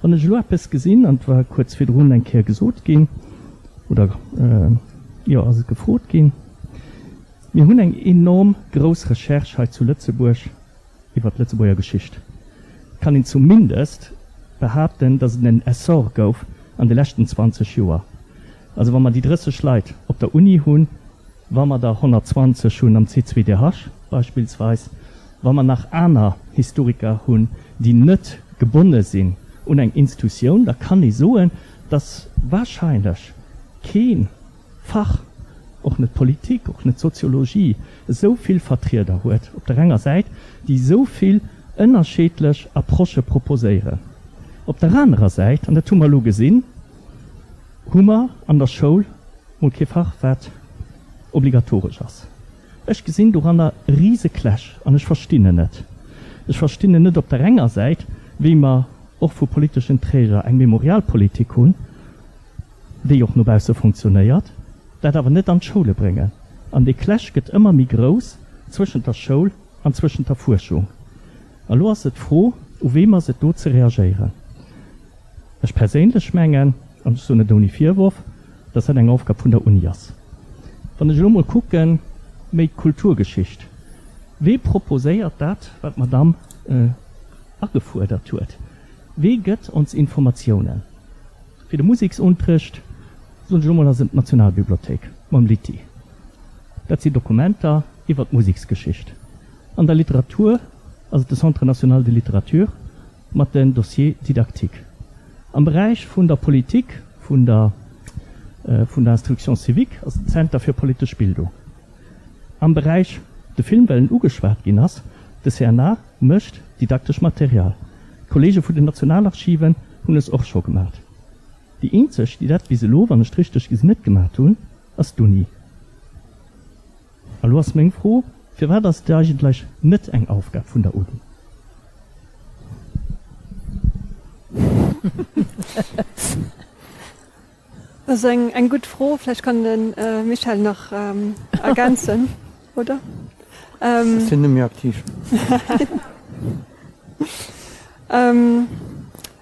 Wann ech elo eppes gesinn, an et war kuerz virdrun eng Kéier gesot ginn, oder jo, ass et gefrot ginn, Mir hunn eng enorm grouss Recherche hei zu Lëtzebuerg iwwer d'Lëtzebuerger Geschicht. Et kann een zumindest behaapten, datt et en Essor gouf an de leschten 20 Joer. Also wa mer déi 30 Leit op der Uni hunn, wa mer der 120 hunn am C2DH beispillsweis, wa mer nach aner Historiker hunn, déi net gebonne sinn un eng Institutioun, da kann ee soen, datt wahrscheinlech kee Fach, och net d'Politik, och net d'Soziologie, esou vill Vertrieder huet op der enger Säit, déi esou vill ënnerscheedlech Approchë proposéieren. Op der anerer Säit, an dat hu mer elo gesinn, hu mer an der Schoul mol kee Fach, wat obligatoresch ass. Ech gesinn doranner e rise Clash an ech verstinn en net. Ech verstinn en net op der enger Säit, wéi mer och vu politeschen Träger eng Memorialpolitik hunn, déi och no bausse funktionéiert, dat awer net an d'Schoule bréngen. An dee Clash gëtt ëmmer méi grouss zwëschent der Schoul an zwëschent der Fuerschung. A lo ass et d'Fro, u weem ass et do ze reagéieren? Ech perséinlech mengen, an ech soen et ouni Virworf, dass dat eng Aufgab vun der Uni ass. Wann ech elo mol kucken, méi d'Kulturgeschicht, wee proposéiert dat, wat d'Madamm agefuerdert huet? Wee gëtt ons Informatiounen? Fir de Museksunterrecht, soen ech elo mol, ass et d'Nationalbibliothéik mam Litty. Dat si Dokumenter iwwer d'Museksgeschicht. An der Literatur ass et de Centre national de littérature mat den Dossiers didactiques. Am Beräich vun der Politik, vun der vun der Instruction civique ass et den Zenter fir politesch Bildung. Am Beräich de Film, well en ugeschwat ginn ass, de CNA mécht didaktesch Material. D'Kollege vun den Nationalarchiven hunn es och scho gemat. Déi eenzeg, déi dat bis elo, wann ech et richteg gesinn, net gemat hunn, ass d'Uni. A lo ass meng Fro, Firwat ass et eigentlech net eng Aufgab vun der Uni? Dat ass eng gutt Fro. Vläicht kann de Michel nach ergänzen, oder? Ech sinn net méi aktiv.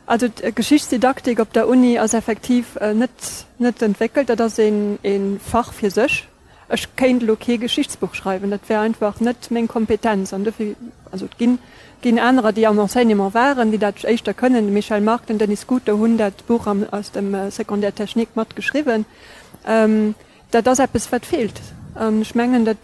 Also d'Geschichtsdidaktik op der Uni ass effektiv net net entwéckelt. Dat ass ee Fach fir sech. Ech kéint elo kee Geschichtsbuch schreiwen, dat wär einfach net meng Kompetenz. An dofir, also et ginn, ginn anerer, déi am Enseignement waren, déi dat éischter kënnen. De Michel Margue, den Denis Scuto hunn dat Buch am, aus dem Secondaire technique mat geschriwwen. Dat ass eppes, wat feelt. An ech mengen, dat,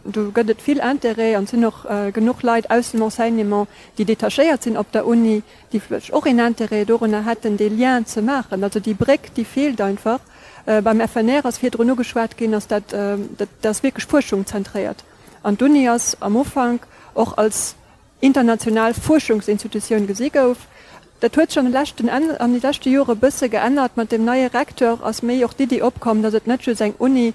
do gëtt et vill Intérêt an et sinn och genuch Leit aus dem Enseignement, déi detachéiert sinn op der Uni, déi vläicht och een Intérêt dorunner hätten, dee Lien ze maachen. Also déi Bréck, déi feelt einfach. Beim FNR ass virdrun ugeschwat ginn, ass dat, dat ass wierklech fuerschungzentréiert. An d'Uni ass am Ufank och als international Fuerschungsinstitutioun gesi gouf. Dat huet sech an de leschten, an de leschte Jore e bësse geännert. Mat deem neie Recteur ass méi och d'Iddi opkomm, datt et net just eng Uni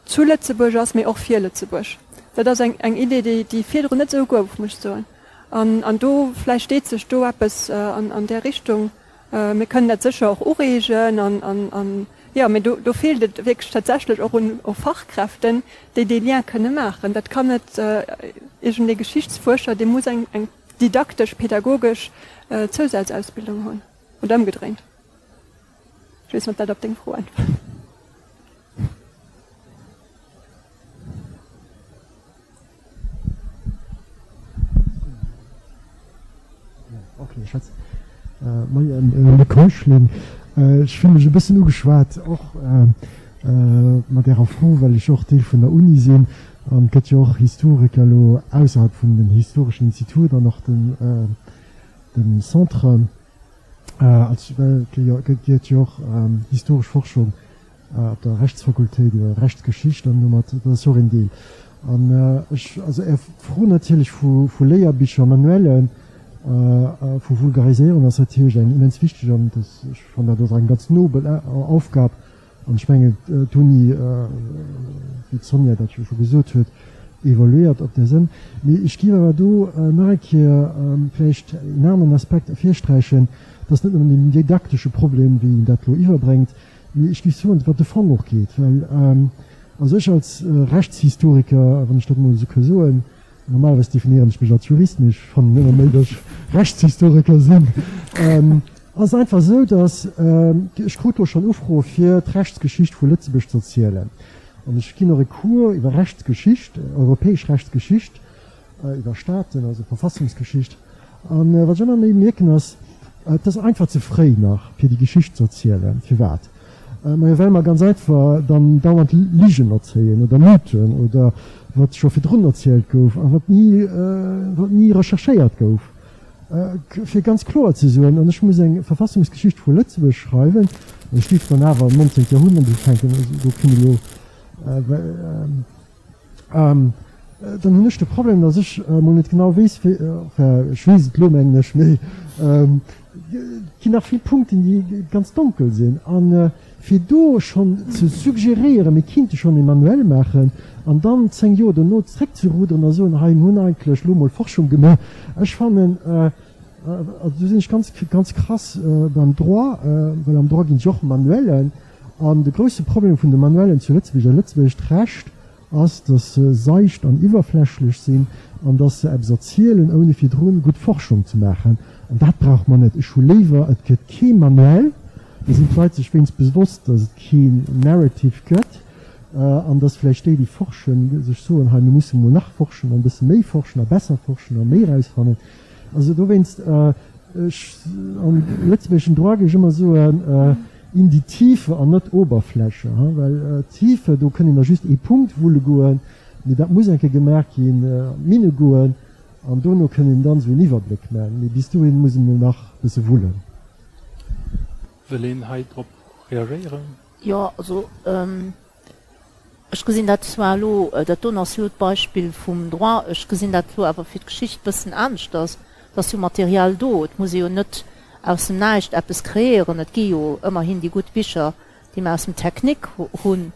zu Lëtzebuerg ass, mee och fir Lëtzebuerg. Dat ass eng, eng Idee, déi, déi virdrun net esou gouf, muss ech soen. An, an do, vläicht deet sech do eppes an, an där Richtung. Mir kënnen dat sécher och ureegen an, an, an. Jo, mee do, do feelt et wierklech tatsächlech och un Fachkräften, déi dee Lien kënne maachen. Dat kann net iergendee Geschichtsfuerscher, dee muss eng, eng didaktesch, pedagogesch Zousazausbildung hunn. Oder ëmgedréint. Ech weess net, ob dat op deng Fro äntwert. Moien, Luc Heuschling. Ech fille mech e bëssen ugeschwat och mat Ärer Fro, well ech och Deel vun der Uni sinn. An et gëtt jo och Historiker elo ausserhalb vun den historeschen Institut an och dem Centre. Als well et gëtt jo och historesch Forschung op der Rechtsfakultéit iwwer Rechtsgeschicht an domat, dat ass jo och een Deel. An ech, also Är Fro natierlech vu vu Léierbicher, Manuellen, vu Vulgariséierung ass natierlech eng immens wichteg an dat, ech fannen dat ass eng ganz nobel Aufgab an ech mengen d'Uni, wéi d'Sonja dat jo scho gesot huet, evoluéiert op där Sënn. Mee ech géif awer do nach eng Kéier vläicht een aneren Aspekt ervirsträichen, dat ass net nëmmen den didaktesche Problem, wéi een dat elo iwwerbréngt, Mee ech géif soen, wat de Fong och geet, well also ech als Rechtshistoriker, wann ech dat emol esou ka soen, normalerweis definéieren ech mech als Jurist, mee ech fannen ëmmer méi, datt ech Rechtshistoriker sinn, ass et einfach esou, datt ech krut do schonn Ufroe fir d'Rechtsgeschicht vu Lëtzebuerg ze erzielen. An ech ginn och e Cours iwwer Rechtsgeschicht, europäesch Rechtsgeschicht, iwwer Staaten, also Verfassungsgeschicht. An wat ech ëmmer méi mierken ass, et ass einfach ze fréi nach fir déi Geschicht ze erzielen. Firwat? Majo well mer ganz einfach dann dauernd Ligen erzéien oder Mythen oder wat scho virdrun erzielt gouf a wat ni wat ni recherchéiert gouf. Fir ganz kloer ze soen, an ech muss eng Verfassungsgeschicht vu Lëtzebuerg schreiwen, an ech géif dann awer am 19. Joerhonnert ufänken, also do kënne elo Dann hunn ech de Problem, datt ech emol net genau weess, wéi, enfin ech weess et elo mengen ech, mee et ginn nach vill Punkten, déi ganz donkel sinn. A fir do schonn ze suggerieren, mir kinnte schonn e Manuel maachen an dann 10 Joer dono zréckzeruderen a soen, hei mir hunn eigentlech elo mol Forschung gemaach, ech fannen, also do sinn ech ganz, ganz krass beim Droit, well am Droit ginn et jo och Manuellen, An de grousse Problem vun de Manuellen zu Lëtzebuerg a lëtzebuergescht Recht ass, dass se seicht an iwwerflächlech sinn an dass se eppes erzielen, ouni virdrun gutt Forschung ze maachen. An dat brauche mer net. Ech hu léiwer, et gëtt kee Manuel, da sinn d'Leit sech wéinst bewosst, dass et keen Narrative gëtt an dass vläicht déi, déi forschen, sech soen, hei mir musse mol nach forschen an e bësse méi forschen a besser forschen a méi erausfannen. Also dowéinst, ech, am lëtzebuergeschen Droit géif ech ëmmer soen, In die Tiefe an net Oberfläche, well Tiefe, do kënn een da just ee Punkt wulle goen, mee dat muss eng Kéier gemaach ginn, an d'Minne goen an dono kënn een dann esou een Iwwerbléck maachen, mee bis dohin muss een emol nach e bësse wullen. Wëll een hei drop reagéieren? Jo, also ech gesinn dat zwar elo, dat doen ass jo d'Beispill vum Droit, ech gesinn dat elo awer fir d'Geschicht bëssen aneschters. Et ass jo Material do, et muss ee jo net aus dem Näischt eppes kreéieren. Et gi jo ëmmerhin déi gutt Bicher, déi mer aus dem Technique hunn.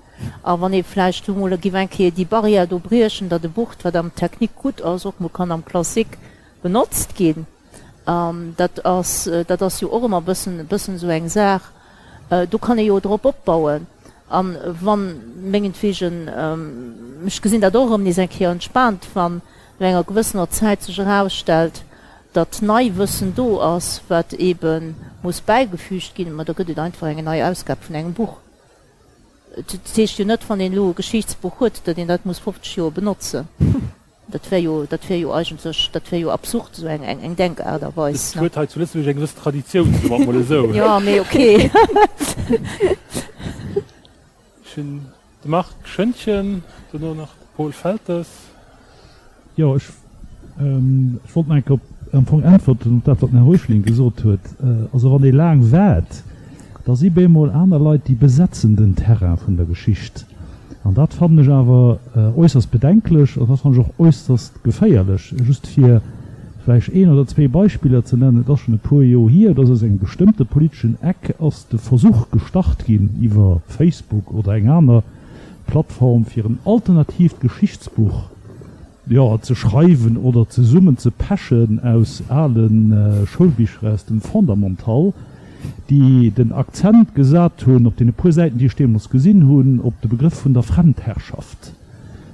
A wann ee vläicht elo mol géif eng Kéier déi Barrière do briechen, datt e Buch, wat am Technique gutt ass, och mol kann am Classique benotzt ginn, dat ass, dat ass jo och ëmmer e bëssen, e bëssen esou eng Saach. Do kann ee jo drop opbauen. A wann, mengetwegen, ech gesinn dat och erëm nees eng Kéier entspaant, wann no enger gewëssener Zäit sech erausstellt, datt nei Wëssen do ass, wat eebe muss bäigefügt ginn, ma da gëtt et einfach eng nei Ausgab vun engem Buch. Et heescht jo net, wann een elo e Geschichtsbuch huet, datt een dat muss 50 Joer benotzen. Dat wär jo, dat wär jo eigentlech, dat wär jo absurd, esou eng, eng Denkaart a Weis. Et huet hei zu Lëtzebuerg eng gewëss Traditioun, soe mer et mol esou. Jo, mee ok. Ech hunn de Marc Schoentgen, dono nach de Paul Feltes. Jo, ech, ech wollt nach eng Kéier op, am Fong äntwerten op dat, wat den Här Heuschling gesot huet. Also wann ee laang waart, da si bemol aner Leit, déi besetzen den Terrain vun der Geschicht. An dat fannen ech awer äusserst bedenklech an dat fannen ech och äusserst geféierlech. Just fir vläicht een oder zwee Beispiller ze nennen, Et ass schonn e puer Joer hier, dass aus engem bestëmmte politeschen Eck ass de Versuch gestart ginn, iwwer Facebook oder eng aner Plattform, fir en alternatiivt Geschichtsbuch, jo, ze schreiwen oder zesummen ze pechen aus ale Schoulbicher aus dem Fondamental. déi den Akzent gesat hunn, op deene puer Säiten, déi ech deemools gesinn hunn, op de Begrëff vun der Fremdherrschaft,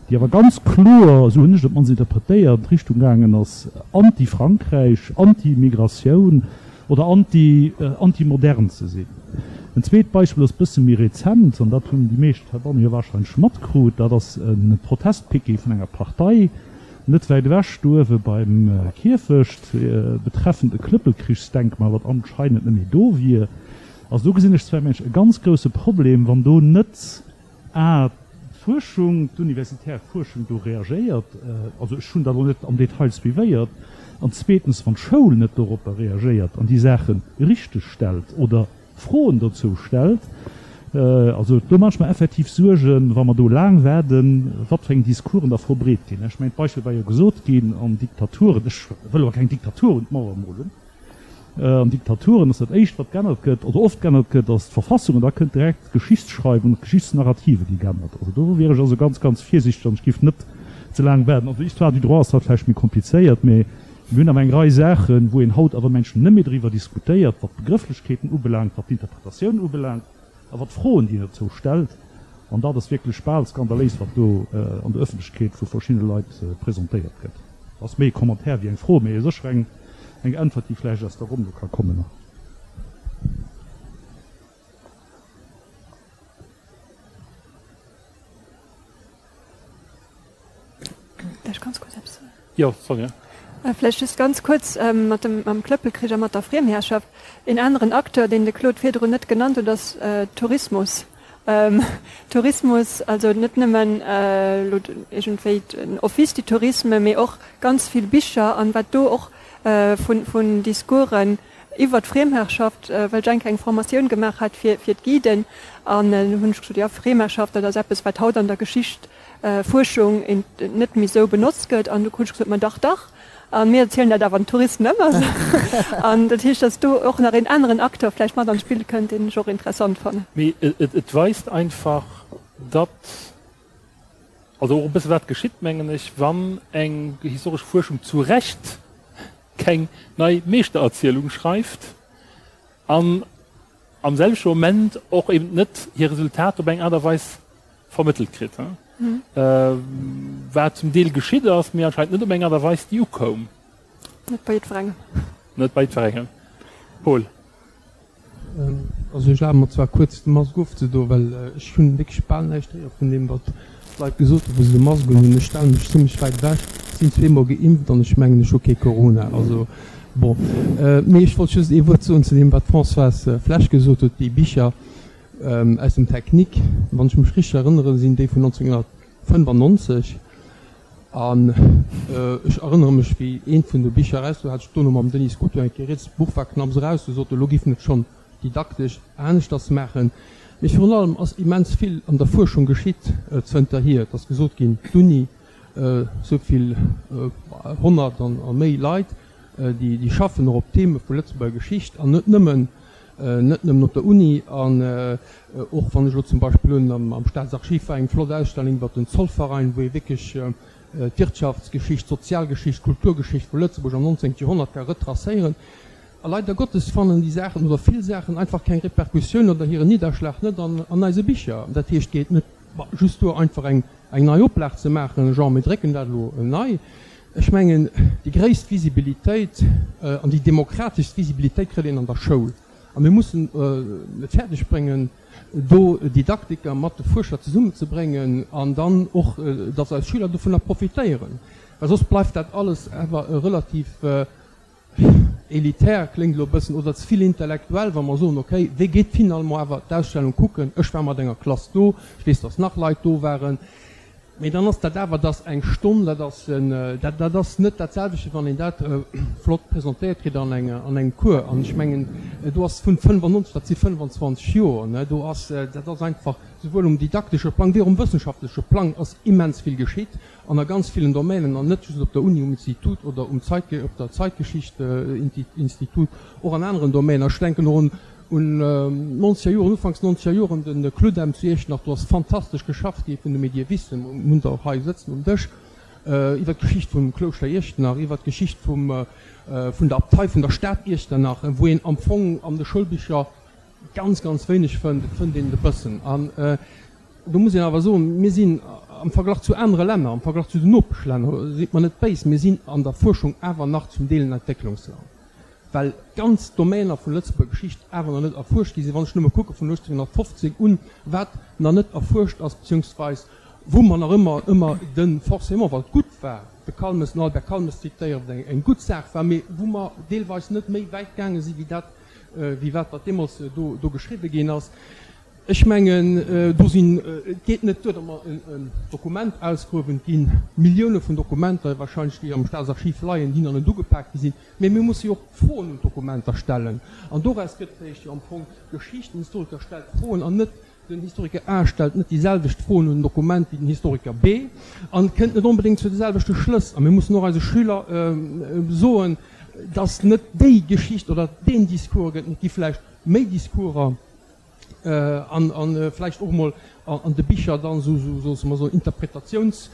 déi awer ganz kloer, esou hunn ech et op d'mannst interpretéiert, an d'Richtung gaangen ass, anti-Frankräich, anti-Migratioun oder anti, anti-modern ze sinn. En zweet Beispill ass e bësse méi rezent, an dat hunn déi meescht heibanne jo wahrscheinlech matkrut, dat ass e Protestpiquet vun enger Partei, Net wäit ewech, do uewe beim Kierfecht, betreffend e Klëppelkrichsdenkmal, wat anscheinend net méi do wier. Also do gesinn ech zwar mengen ech e ganz grousse Problem, wann do net a d'Fuerschung, d'universitär Fuerschung do reagéiert, also ech hunn dat elo net am Detail suivéiert, an zweetens, wann d'Schoul net doropper reagéiert an déi Saache richtegstellt oder Froen dozou stellt. Also do maache ech mer effektiv Suergen, wa mer do laang waarden, wat fir eng Discoursen da verbreet ginn. Ech mengen, d'Beispill war jo gesot ginn, an Diktaturen, ech wëll awer keng Diktatur un d'Mauer molen, an Diktaturen ass dat Éischt, wat g'ännert gëtt oder oft g'ännert gëtt, ass d'Verfassung an da kënnt direkt d'Geschichtsschreiwung, d'Geschichtsnarrative gi g'ännert. Also do wier ech also ganz, ganz virsichteg an ech géif net ze laang waarden. An der Histoire du droit ass dat vläicht méi komplizéiert, mä Mir hunn awer eng Rei Saachen, wou een haut awer mengen net méi driwwer diskutéiert, wat d'Begrëfflechkeeten ubelaangt, wat d'Interpretatioun ubelaangt a wat d'Froen, déi een dozou stellt. An dat ass wierklech bal skandaléis, wat do an der Öffentlechkeet vu verschiddene Leit presentéiert gëtt. Dat ass méi e Commentaire wéi eng Fro, mee sécher eng Äntwert, déi vläicht aus der Ronn do ka kommen. Däerf ech ganz kuerz eppes soen? Jo, Sonja. Vläicht just ganz kuerz mat dem, mam Klëppelkrich a mat der Friemherrschaft. Een aneren Acteur, deen de Claude virdrun net genannt huet, ass Tourismus. Tourismus, also net nëmmen elo iergendwéi den Office du Tourisme, mee och ganz vill Bicher an wat do och vun, vun Discoursen iwwer d'Friemherrschaft, well ech eng Kéier eng Formatioun gemaach hat fir, fir d'Guiden an hunn ech gesot, jo, Friemherrschaft, dat ass eppes, wat haut an der Geschicht, Fuerschung net méi sou benotzt gëtt. An du krut ech gesot, ma dach, dach. A mir erzielen dat awer den Touristen ëmmer esou. An dat heescht, datt do och nach een aneren Acteur vläicht mat an d'Spill kënnt, deen ech och interessant fannen. Mee et weist einfach, datt, also och e bësse wat geschitt, mengen ech, wann eng historesch Fuerschung zu Recht keng nei Meeschtererzielung schreift an am selwechte Moment och eben net hir Resultater op eng Aart a Weis vermëttelt kritt, wat zum Deel geschitt ass, mee anscheinend net op eng Aart a Weis, déi ukoum. Net bei jiddwerengem. Net bei jiddwerengem. Paul. Also ech erlabe mer zwar kuerz de Mask ofzedoen, well ech hunn wierklech bal näischt héiere vun deem wat d'Leit gesot hunn, wou se de Mask unhunn. Ech stelle mech zimlech wäit ewech, sinn zweemol geimpft an ech mengen ech hu kee Corona. Also bon. Mee ech wollt just ee Wuert soen zu deem wat d'Françoise Flesch gesot huet, déi Bicher, Aus dem Technique, wann ech mech richteg erënneren, sinn déi vun 1995. An ech erënnere mech, wéi eent vun de Bicher eraus war, hat ech dono mam Denis Scuto eng Kéier rieds, d'Buch war knapps eraus, du sot e, lo giff en et schonn didaktesch aneschters maachen. Mee virun allem ass immens vill an der Fuerschung geschitt zënterhier. Et ass gesot ginn, d'Uni, esou vill 100 a méi Leit, déi schaffen och op Theme vu Lëtzebuerger Geschicht an net nëmmen. Net nëmmen op der Uni, an och wann ech elo zum Beispill un am Staatsarchiv war eng flott Ausstellung iwwer den Zollverein, wou ee wierklech d'Wirtschaftsgeschicht, d'Sozialgeschicht, d'Kulturgeschicht vu Lëtzebuerg am 19. Joerhonnert ka retracéieren. A leider Gottes fannen déi Saachen oder vill Saachen einfach keng Repercussioun oder hiren Nidderschlag net an eise Bicher. Dat heescht, et geet net just duer einfach eng nei Oplag ze maachen, genre mir drécken dat elo nei. Ech mengen, déi gréisst Visibilitéit an déi demokrateschst Visibilitéit kritt een an der Schoul. A mir mussen et fäerdeg bréngen, do Didaktiker mat de Fuerscher zesummenzebréngen an dann och, datt eis Schüler dovunner profitéieren, well soss bleift dat alles awer e relativ elitär, kléngt elo e bëssen, oder ze vill intellektuell, wa mer soen, okay, wee geet finalement awer d'Ausstellung kucken? Ech war mat enger Klass do, ech weess, datt nach Leit do waren. Mee dann ass dat awer, dass eng Stonn, dat ass en, dat, dat ass net dat selwechte, wann een dat flott presentéiert kritt an enger, an engem Cours. An ech mengen, do ass vun 95, dat si 25 Joer, ne, do ass, dat ass einfach souwuel um didaktesche Plang wéi och um wëssenschaftleche Plang ass immens vill geschitt an a ganz villen Domänen an net just op der Uni, um Institut oder um Zeit, op der Zeitgeschicht-Institut, och an aneren Domänen. Ech denken och un Un nonzeger Joren, ufanks nonzeger Joren, de Cludem zu Iechternach, do ass fantastesch geschafft gi vun de Medievisten, mir hunn se och hei sëtzen um Dësch. iwwer d'Geschicht vum Klouschter Iechternach, iwwer d'Geschicht vum, vun der Abtei vun der Stad Iechternach, wou een am Fong an de Schoulbicher ganz, ganz wéineg fënnt. Et fënnt een et e bëssen. An do muss een awer soen, mir sinn am Verglach zu anere Länner, am Verglach zu den Nopeschlänner, sidd mer net béis, mir sinn an der Fuerschung awer nach zum Deel en Entwécklungsland, well ganz Domäner vun Lëtzebuerger Geschicht awer nach net erfuerscht gi sinn. Wann ech nëmme kucke vun 1815 un, wat nach net erfuerscht ass, beziehungsweis wou mer nach ëmmer, ëmmer de forcément, wat gutt war, de Calmes, den Albert Calmes zitéieren, wat eng gutt Saach war, mee wou mer deelweis net méi wäit gaange si wéi dat, wéi wat wat deemools do, do geschriwwe ginn ass. Ech mengen, do sinn, et geet net duer, datt mer en Dokument ausgruewen, et gi Millioune vun Dokumenter wahrscheinlech, déi am Staatsarchiv leien, déi nach net ugepaakt gi sinn, mee mir musse jo och Froen un d'Dokumenter stellen. An doraus gëtt réischt jo am Fong Geschicht. Den Historiker stellt Froen an net den Historiker A stellt net déi selwecht Froen un en Dokument wéi den Historiker B an kënnt net onbedéngt zu de selwechte Schlëss. A mir mussen och eise Schüler soen, datt net déi Geschicht oder deen Discours gëtt, et gi vläicht méi Discourser. An vläicht och emol an de Bicher dann esou, sosse mer soen, Interpretatiouns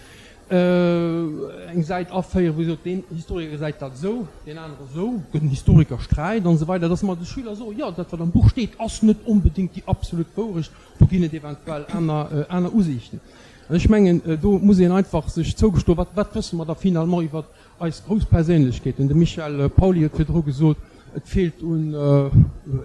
eng Säit aféieren, wou ee sot, deen Historiker gesäit dat esou, deen anere esou, gëtt en Historikersträit an esou weider, dass mer de Schüler soen, jo, dat wat am Buch steet, ass net onbedéngt déi absolut Wourecht, do ginn et eventuell aner, aner Usiichten. An ech mengen, do muss een einfach sech zougestoen, wat, wat wësse mer da finalement iwwert Eis grouss Perséinlechkeeten, de Michel Pauly huet virdru gesot, et feelt un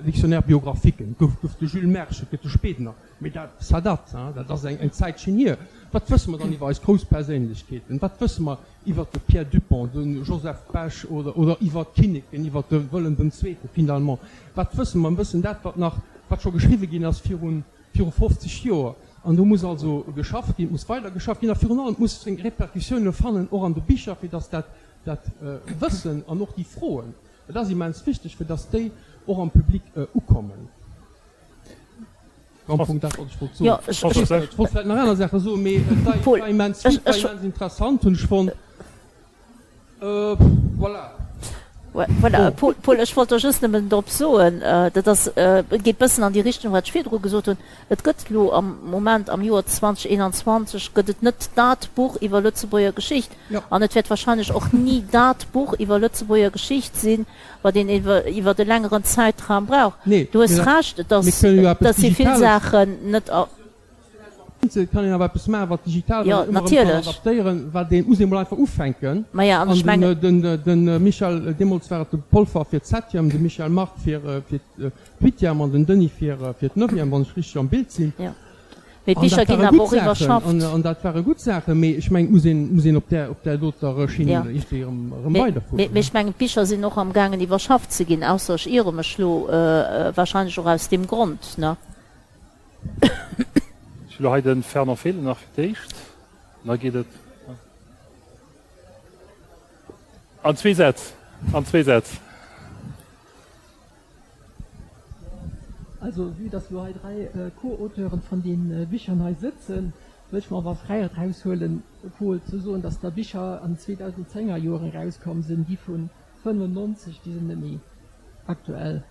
Dictionnaire biographiquen, et gouf gouf de Jules Mersch, et gëtt de Spedener, mee dat, ça date, hein, dat ass eng eng Zäitchen hier. Wat wësse mer dann iwwer eis grouss Perséinlechkeeten? Wat wësse mer iwwer de Pierre Dupong, de Joseph Bech oder oder iwwer d'Kinneken, iwwer de Wëllem den Zweete finalement? Wat wësse mer? Mir wëssen dat, wat nach, wat scho geschriwwe ginn ass virun viru 50 Joer. An do muss also geschafft ginn, et muss weider geschafft ginn a virun allem, et muss seng Répercussioune fannen, och an de Bicher, fir datt dat dat Wëssen an och déi Froen, dat ass immens wichteg, fir datt déi och am Public ukommen. Am Fong dat, wat ech wollt soen. Ech wollt vläicht nach aner Saache soen, mee et war immens vill, et war immens interessant, hunn ech fonnt. Voilà. Voilà, Paul, ech wollt der just nëmmen drop soen, dat ass, geet bëssen an déi Richtung, wat ech virdru gesot hunn, Et gëtt elo am Moment, am Joer 2021, gëtt et net dat Buch iwwer Lëtzebuerger Geschicht. An et wäert wahrscheinlech och ni dat Buch iwwer Lëtzebuerger Geschicht sinn, wat een iwwer e längeren Zäitraum brauch. Du hues Recht, dass si vill Saachen net. Et kann een awer eppes maachen, wat digital, wat een ëmmer erëm kann adaptéieren, wat een, muss een emol einfach ufänken. An de Michel, deemools war et de Polfer fir d'Septième, de Michel Margue fir d'Huitième an den Denis fir d'Neuvième, wann ech richteg am Bild sinn. An dat ware gutt Saachen, an dat ware gutt Saachen, mee ech mengen, et muss een, muss een op där, op där doter Schinn iergendwéi erëm, erëm weiderfueren. Mee ech mengen, d'Bicher sinn och amgaangen iwwerschafft ze ginn, ausser ech iere mech elo, wahrscheinlech och aus deem Grond, ne? Ech hu lo hei de Fernand Fehlen nach fir d'éischt, an da geet et an zwee Sätz, an zwee Sätz. Also, vue dass lo hei dräi Co-Auteuren von den Bichern hei sëtzen, wëll ech mer awer Fräiheet raushuelen, Paul, ze soen, dass der Bicher an 2010er Joren erauskomm sinn, déi vun 95, déi sinn net méi aktuell,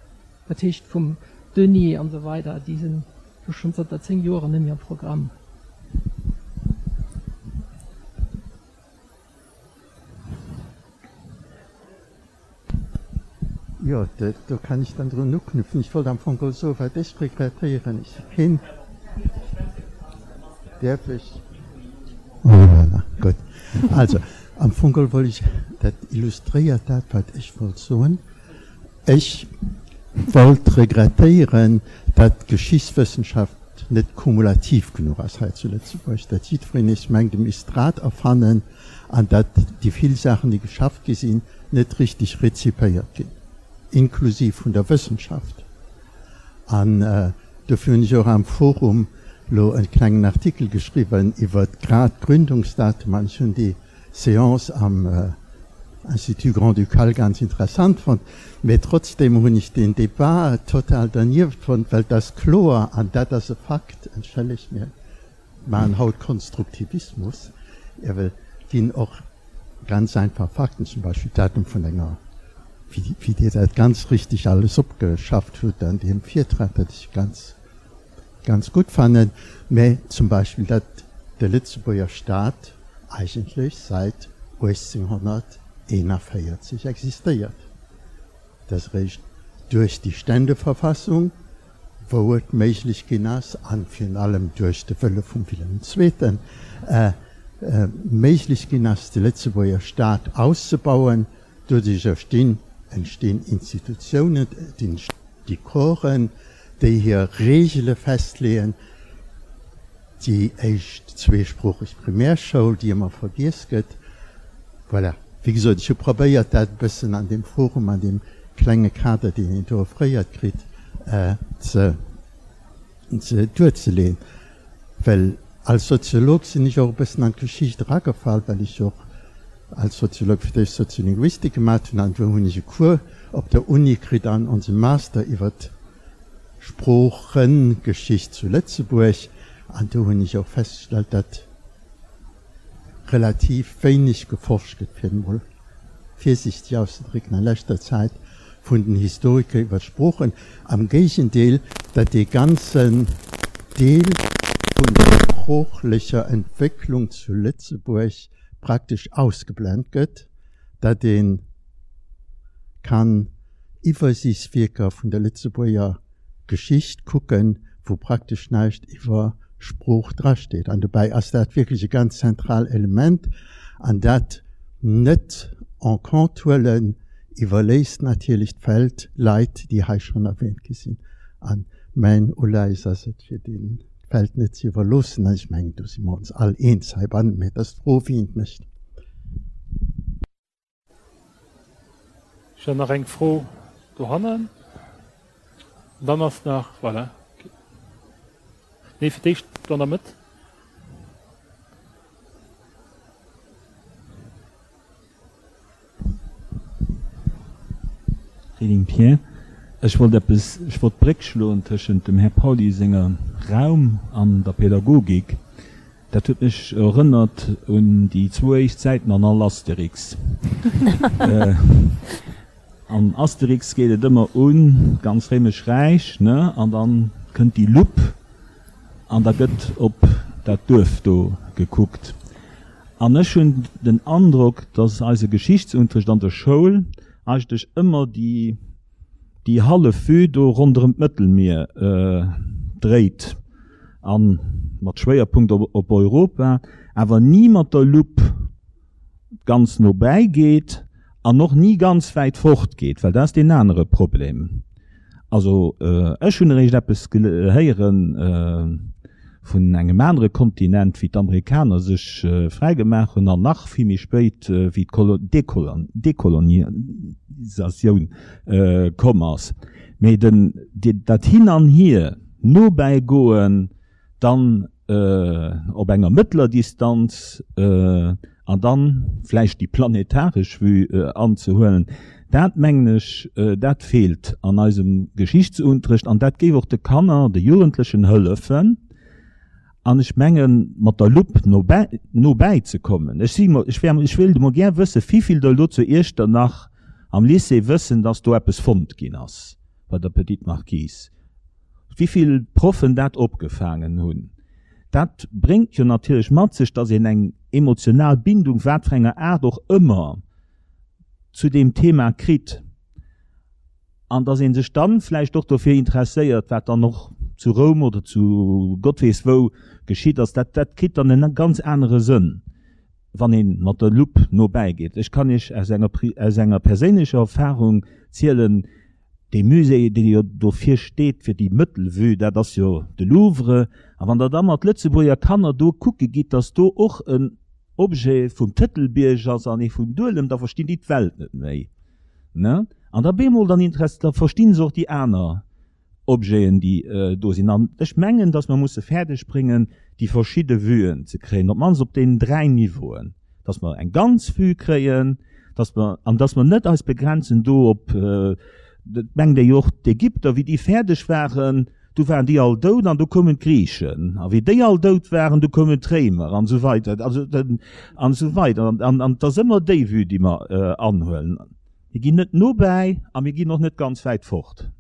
dat heescht vum Denis an esou weider, déi sinn jo schonn zanter 10 Joren net méi am Programm. Jo, do kann ech dann drun uknüpfen. Ech wollt am Fong geholl soen, wat ech regrettéieren, ech si keen. Däerf ech? Voilà, gutt. Also, am Fong geholl wollt ech, dat illustréiert dat, wat ech wollt soen. Ech wollt regrettéieren, datt d'Geschichtswëssenschaft net kumulativ genuch ass hei zu Lëtzebuerg, datt jiddwereen nees mengt, e misst d'Rad erfannen an datt déi vill Saachen, déi geschafft gi sinn, net richtig rezipéiert ginn, inklusiv vun der Wëssenschaft. An dofir hunn ech och am Forum lo e klengen Artikel geschriwwen iwwert grad d'Gründungsdatum an ech hunn déi Séance am Institut Grand-Ducal ganz interessant fonnt. Mee trotzdem hunn ech deen Débat total dernieft fonnt, well et ass kloer, an dat ass e Fakt, entschëllegt, mir maachen haut Konstruktivismus, ewell ginn och ganz einfach Fakten, zum Beispill d'Datum vun enger, wéi Dir dat ganz richtig alles opgeschafft hutt an deem Virtrag, dat ech ganz, ganz gutt fannen, mä zum Beispill, datt de Lëtzebuerger Staat. eigentlech säit 1841 existéiert. Et ass eréischt duerch déi Ständeverfassung, wou et méiglech ginn ass, an virun allem duerch de Wëlle vum Wilhelm Zweeten, méiglech ginn ass, de Lëtzebuerger Staat auszebauen. Doduerch erstinn, entstinn Institutiounen, et entsti Corpsen, déi hir Reegele festleeën. Déi éischt zweesproocheg Primärschoul, déi ëmmer vergiess gëtt. Voilà, wéi gesot, ech hu probéiert, dat e bëssen an deem Forum, an deem klenge Kader, deen een do offréiert kritt, ze, ze duerzeleeën. Well als Soziolog sinn ech och e bëssen an d'Geschicht eragefall, well ech och als Soziolog fir d'éischt Soziolinguistik gemat hunn an do hunn ech e Cours op der Uni kritt an onsem Master iwwert Sproochegeschicht zu Lëtzebuerg an do hunn ech och festgestallt, datt relativ wéineg geforscht gëtt, fir et emol virsiichteg auszedrécken, a leschter Zäit vun den Historiker iwwer d'Sproochen. Am Géigendeel, datt dee ganzen Deel vun der sproochlecher Entwécklung zu Lëtzebuerg praktesch ausgeblent gëtt, datt ee kann Iwwersiichtswierker vun der Lëtzebuerger Geschicht kucken, wou praktesch näischt iwwer Sprooch drasteet. An dobäi ass dat wierklech e ganz zentral Element. An dat net en compte huelen, iwwerléisst natierlech d'Feld Leit, déi hei schonn erwähnt gi sinn. A mäin Uleies ass et, fir deenen d'Feld net ze iwwerloossen. An ech mengen, do si mer ons all eens heibannen, mä et ass d'Fro, wien et mécht. Ech hat nach eng Fro dohannen. An dann ass nach, voilà, nee, fir d'éischt do an der Mëtt. Reding Pierre, Ech wollt eppes, ech wollt d'Bréck schloen tëschent dem Här Pauly senger Raum an der Pädagogik. Dat huet mech erënnert un déi zwou éischt Säiten an all Asterix. An Asterix geet et ëmmer un d'ganz Réimesch Räich, ne, an dann kënnt déi Lupp an da gëtt op dat Duerf do gekuckt. An ech hunn den Androck, dass eise Geschichtsunterricht an der Schoul eigentlech ëmmer déi déi hallef Vue do ronderëm d'Mëttelmier dréit a mat Schwéierpunkt op Europa, awer ni mat der Lupp ganz no bäi geet an och ni ganz wäit fort geet, well dat ass deen anere Problem. Also ech hunn eréischt eppes héiere vun engem anere Kontinent, wéi d'Amerikaner sech fräi gemaach hunn an nach vill méi spéit, wéi d'Dekolonisatioun komm ass. Mee den, dat Hin an Hier, no bäi goen, dann op enger mëttler Distanz an dann vläicht déi planetaresch Vue anzehuelen, dat mengen ech, dat feelt an eisem Geschichtsunterrecht an dat géif och de Kanner, de Jugendlechen hëllefen an ech mengen, mat der Lupp no bäi, no bäi ze kommen. Ech si, ech wär, ech wéilt emol gär wëssen, wivill der elo zu Iechternach am Lycée wëssen, dass do eppes fonnt ginn ass bei der Petite Marquise. Wivill Proffen dat opgefaangen hunn. Dat bréngt jo natierlech mat sech, dass een eng emotional Bindung, wat fir enger Aart och ëmmer, zu deem Thema kritt an dass ee sech dann vläicht och dofir interesséiert, wat dann och zu Roum oder zu Gott weess wou geschitt ass. Dat, dat kritt dann en ganz anere Sënn, wann ee mat der Lupp no bäi geet. Ech kann Iech aus enger, aus enger perséinlecher Erfahrung zielen, Dee Musée, dee jo dofir steet, fir déi Mëttelvue, dat ass jo de Louvre. A wann Der da mat Lëtzebuerger Kanner do kucke gitt, datt do och en Objet vum Tëtelbierg ass an ee vum Duelem, da verstinn déi d'Welt net méi. Ne? An da bemol, dann interess, da verstinn se och déi aner Objeten, déi do sinn. An ech mengen, datt mer musse fäerdeg bréngen, déi verschidde Vuen ze kréien, op d'mannst op deenen dräi Niveauen. dass mer eng ganz Vue kréien, dass mer, an dass mer net eis begrenzen do op, dat mengt ee jo och, d'Ägypter, wéi déi fäerdeg waren, du waren déi all dout an du koumen d'Griichen, a wéi déi all dout waren, du koumen d'Réimer an esou weider, also an esou weider. An an et ass ëmmer déi Vue, déi mer anhuelen. Mir ginn net no bäi a mir ginn och net ganz wäit fort.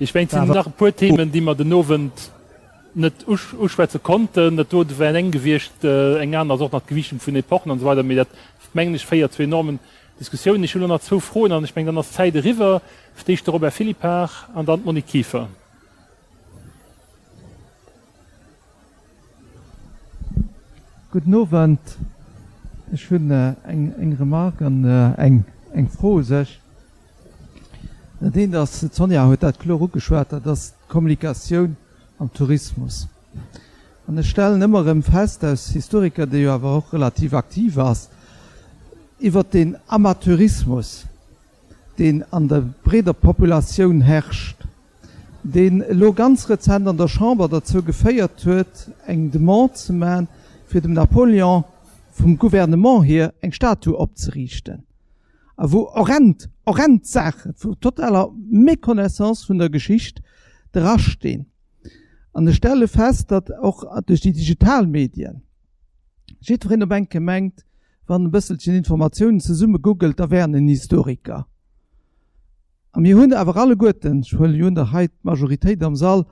Ech mengen, et sinn nach e puer Themen, déi mer den Owend. net uschwätze konnten. Dat do wär eng gewiescht, eng aner ass och nach d'Gewiichtung vun Epochen an esou weider, mee dat, mengen ech, féiert zu enormen Diskussiounen. Ech hunn elo nach zwou Froen an ech mengen, dann ass d'Zäit eriwwer. Fir d'éischt de Robert Philippart an dann d'Monique Kieffer. Gudden Owend. Ech hunn eng Remarque an eng Fro u sech. Dat eent ass, d'Sonja huet dat kloer ugeschwat, dat ass d'Kommunikatioun am Tourismus. An ech stellen ëmmer erëm fest, aus Historiker, dee jo awer och relativ aktiv ass, iwwert deen Amateurismus, deen an der breeder Populatioun herrscht, deen elo ganz rezent an der Chamber derzou geféiert huet, eng Demande ze maachen, fir dem Napoléon vum Gouvernement hier eng Statue opzeriichten, a wou horrend, horrend Saache vu totaler Méconnaissance vun der Geschicht drastinn. An ech stelle fest, datt och duerch déi digital Medien jiddwereen op enke mengt, wann e bësselchen Informatiounen zesumme googelt, da wär en en Historiker. A mir hunn awer alleguerten, ech huelen jo un, datt hei d'Majoritéit am Sall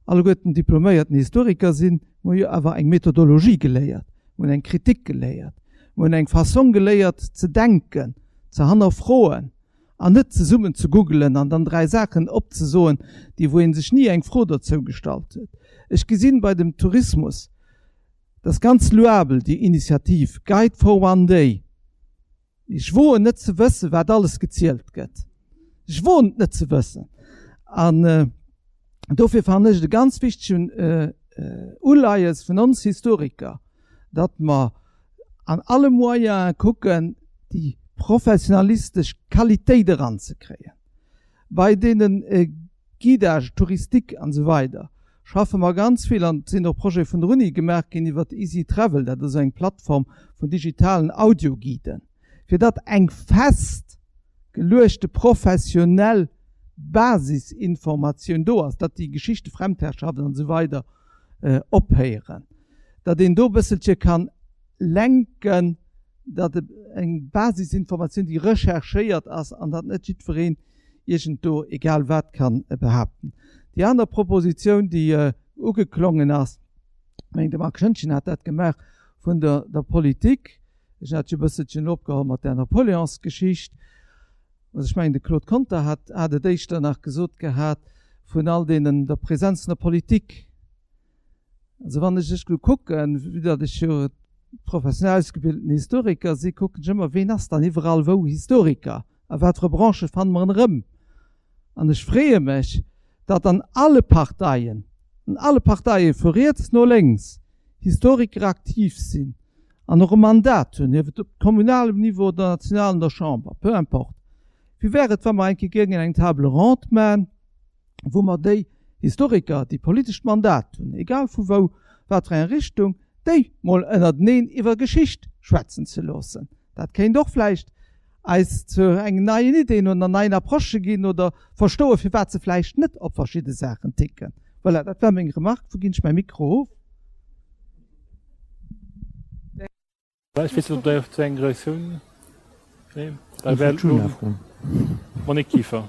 alleguerten diploméierten Historiker sinn, mir hu jo awer eng Methodologie geléiert, mir hunn eng Kritik geléiert, mir hunn eng Fassong geléiert ze denken, ze hannerfroen an net zesummen ze googelen an dann 3 Saachen opzesoen, déi wou ee sech ni eng Fro dozou gestallt huet. Ech gesinn bei dem Tourismus, dat ass ganz louabel, déi Initiativ Guide for one day, mee ech woen net ze wëssen, wat alles gezielt gëtt. Ech woen et net ze wëssen. An dofir fannen ech et e ganz wichtegen Uleies vun ons Historiker, datt mer an alle Moyene kucken, déi professionalistesch Qualitéit eranzekréien. Bei deene Guidages touristiques an esou weider schaffe mer ganz vill, an et sinn och Projete vun der Uni gemaach ginn iwwert Easy Travel, dat ass eng Plattform vun digitalen Audioguiden, fir datt eng fest geluechte professionell Basisinformatioun do ass, datt déi Geschichte Fremdherrschaft an esou weider ophéieren, datt een do e bësselche kann lenken, datt eng Basisinformatioun, déi recherchéiert ass, an datt net jiddwereen iergend do egal wat kann behaapten. Déi aner Propositioun, déi ugeklongen ass, ech mengen de Marc Schoentgen hat dat gemaach, vun der der Politik, ech hat jo e bësselchen elo opgeholl mat där Napoleonsgeschicht, also ech mengen de Claude Conter hat hat et éischter nach gesot gehat, vun all deenen, der Präsenz vun der Politik. Also wann ech ech kucken, vue datt ech jo professionell ausgebildeten Historiker si, kucken ech ëmmer, ween ass dann iwwerall wou Historiker, a wat fir e Branchë fanne mer en erëm. An ech freeë mech, datt an alle Parteien, an alle Parteie vu riets no lénks, Historiker aktiv sinn an och e Mandat hunn, hief et op kommunalem Niveau oder national an der Chamber, peu importe. Wéi wär et, wa mer eng Kéier géingen eng Table ronde man, wou mer déi Historiker, déi politescht Mandat hunn, egal vu wou, wat fir eng Richtung, déi mol ënnerteneen iwwer Geschicht schwätzen ze loossen. Dat kéint och vläicht eis zu engen neien Ideen oder neien Approchë ginn oder verstoen, firwat se vläicht net op verschidde Saachen ticken. Voilà, dat war meng Remarque. Wou ginn ech mäi Mikro of? Ech weess net, ob Der zu eng Reaktioun. Nee, da wär elo d'Monique Kieffer.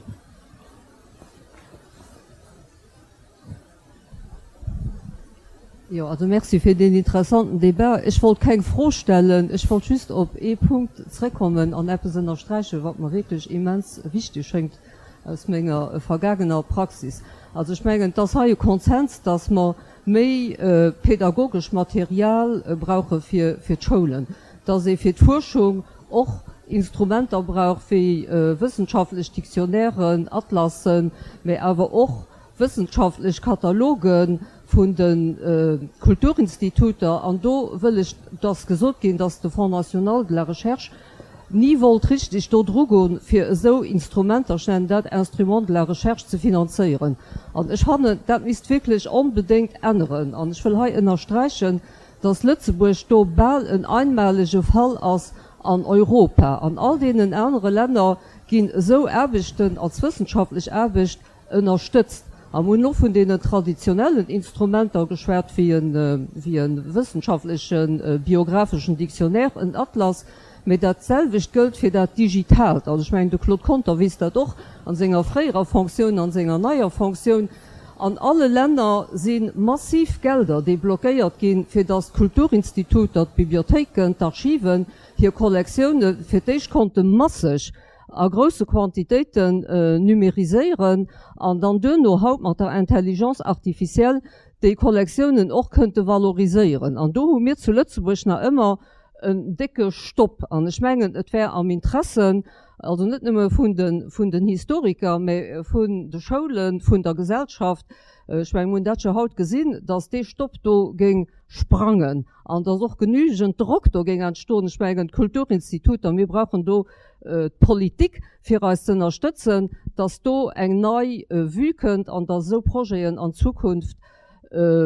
Jo, also merci fir deen interessanten Débat. Ech wollt keng Fro stellen, ech wollt just op ee Punkt zrëckkommen an eppes ënnersträichen, wat mer wierklech immens wichteg schéngt aus menger vergaangener Praxis. Also ech mengen, et ass hei e Konsens, dass mer méi pädagogesch Material brauche fir d'Schoulen, dass ee fir d'Fuerschung och Instrumenter brauch wéi wëssenschaftlech Dictionnairen, Atlassen, mä awer och wëssenschaftlech Kataloge vun de Kulturinstituter. An do wëll ech, et ass gesot ginn, dass de Fonds national de la recherche ni wollt richtig do drugoen, fir esou Instrumenter, ech nennen dat Instruments de la recherche, ze finanzéieren. An ech fannen, dat misst wierklech onbedéngt änneren. An ech wëll hei ënnersträichen, dass Lëtzebuerg do bal en einmalege Fall ass an Europa. An all deenen anere Länner ginn esou Aarbechten als wëssenschaftlech Aarbecht ënnerstëtzt. A mir hunn och vun deenen traditionellen Instrumenter geschwat, wéi e wëssenschaftleche biographeschen Dictionnaire, en Atlas, mä dat selwecht gëllt fir dat Digitaalt. Also ech mengen, de Claude Conter weess dat och an senger fréierer Fonctioun, an senger neier Fonctioun. An alle Länner si massiv Gelder deblockéiert ginn, fir datt d'Kulturinstituter, d'Bibliothéiken, d'Archiven hir Kollektioune fir d'éischt konnte masseg a grousse Quantitéiten numériséieren an dann duerno haut mat der Intelligence artificielle déi Kollektiounen och kënnte valoriséieren. An do hu mir zu Lëtzebuerg nach ëmmer en décke Stopp. An ech mengen, et wär am Interesse, also net nëmme vun de, vun den Historiker, mä vun de Schoulen, vun der Gesellschaft, ech mengen, mir hunn dat jo haut gesinn, datt dee Stopp do géing sprangen an datt och genügend Drock do géing entstoen. Ech mengen, d'Kulturinstituter, mir brauchen do d'Politik, fir eis z'ënnerstëtzen, datt do eng nei Vue kënnt an datt esou Projeten an Zukunft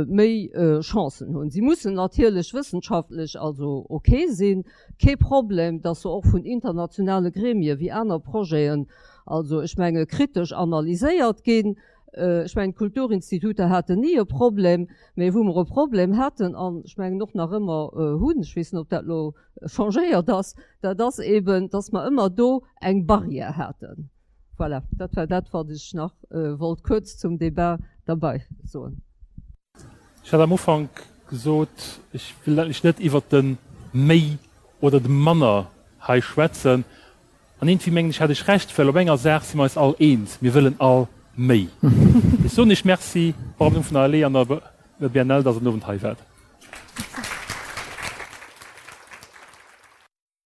méi Chancen hunn. Si mussen natierlech wëssenschaftlech also ok sinn, kee Problem, datt se och vun internationale Gremie wéi aner Projeten, also ech menge kritesch analyséiert ginn. Ech mengen, d'Kulturinstituter haten ni e Problem, mä wou mer e Problem haten an ech mengen och nach ëmmer hunn, ech weess net, ob dat elo changéiert ass, dat ass eben, datt mer ëmmer do eng Barrière haten. Voilà, dat war dat, wat ech nach wollt kuerz zum Débat derbei soen. Ech hat am Ufank gesot, ech wëll eigentlech net iwwert de méi oder de manner hei schwätzen. An iergendwéi mengen ech, hat ech Recht, well op enger Saach si mer eis all eens, Mir wëllen all méi. Ech soen Iech Merci, och am Numm vun der ALE an der BNL, dass Der den Owend hei waart.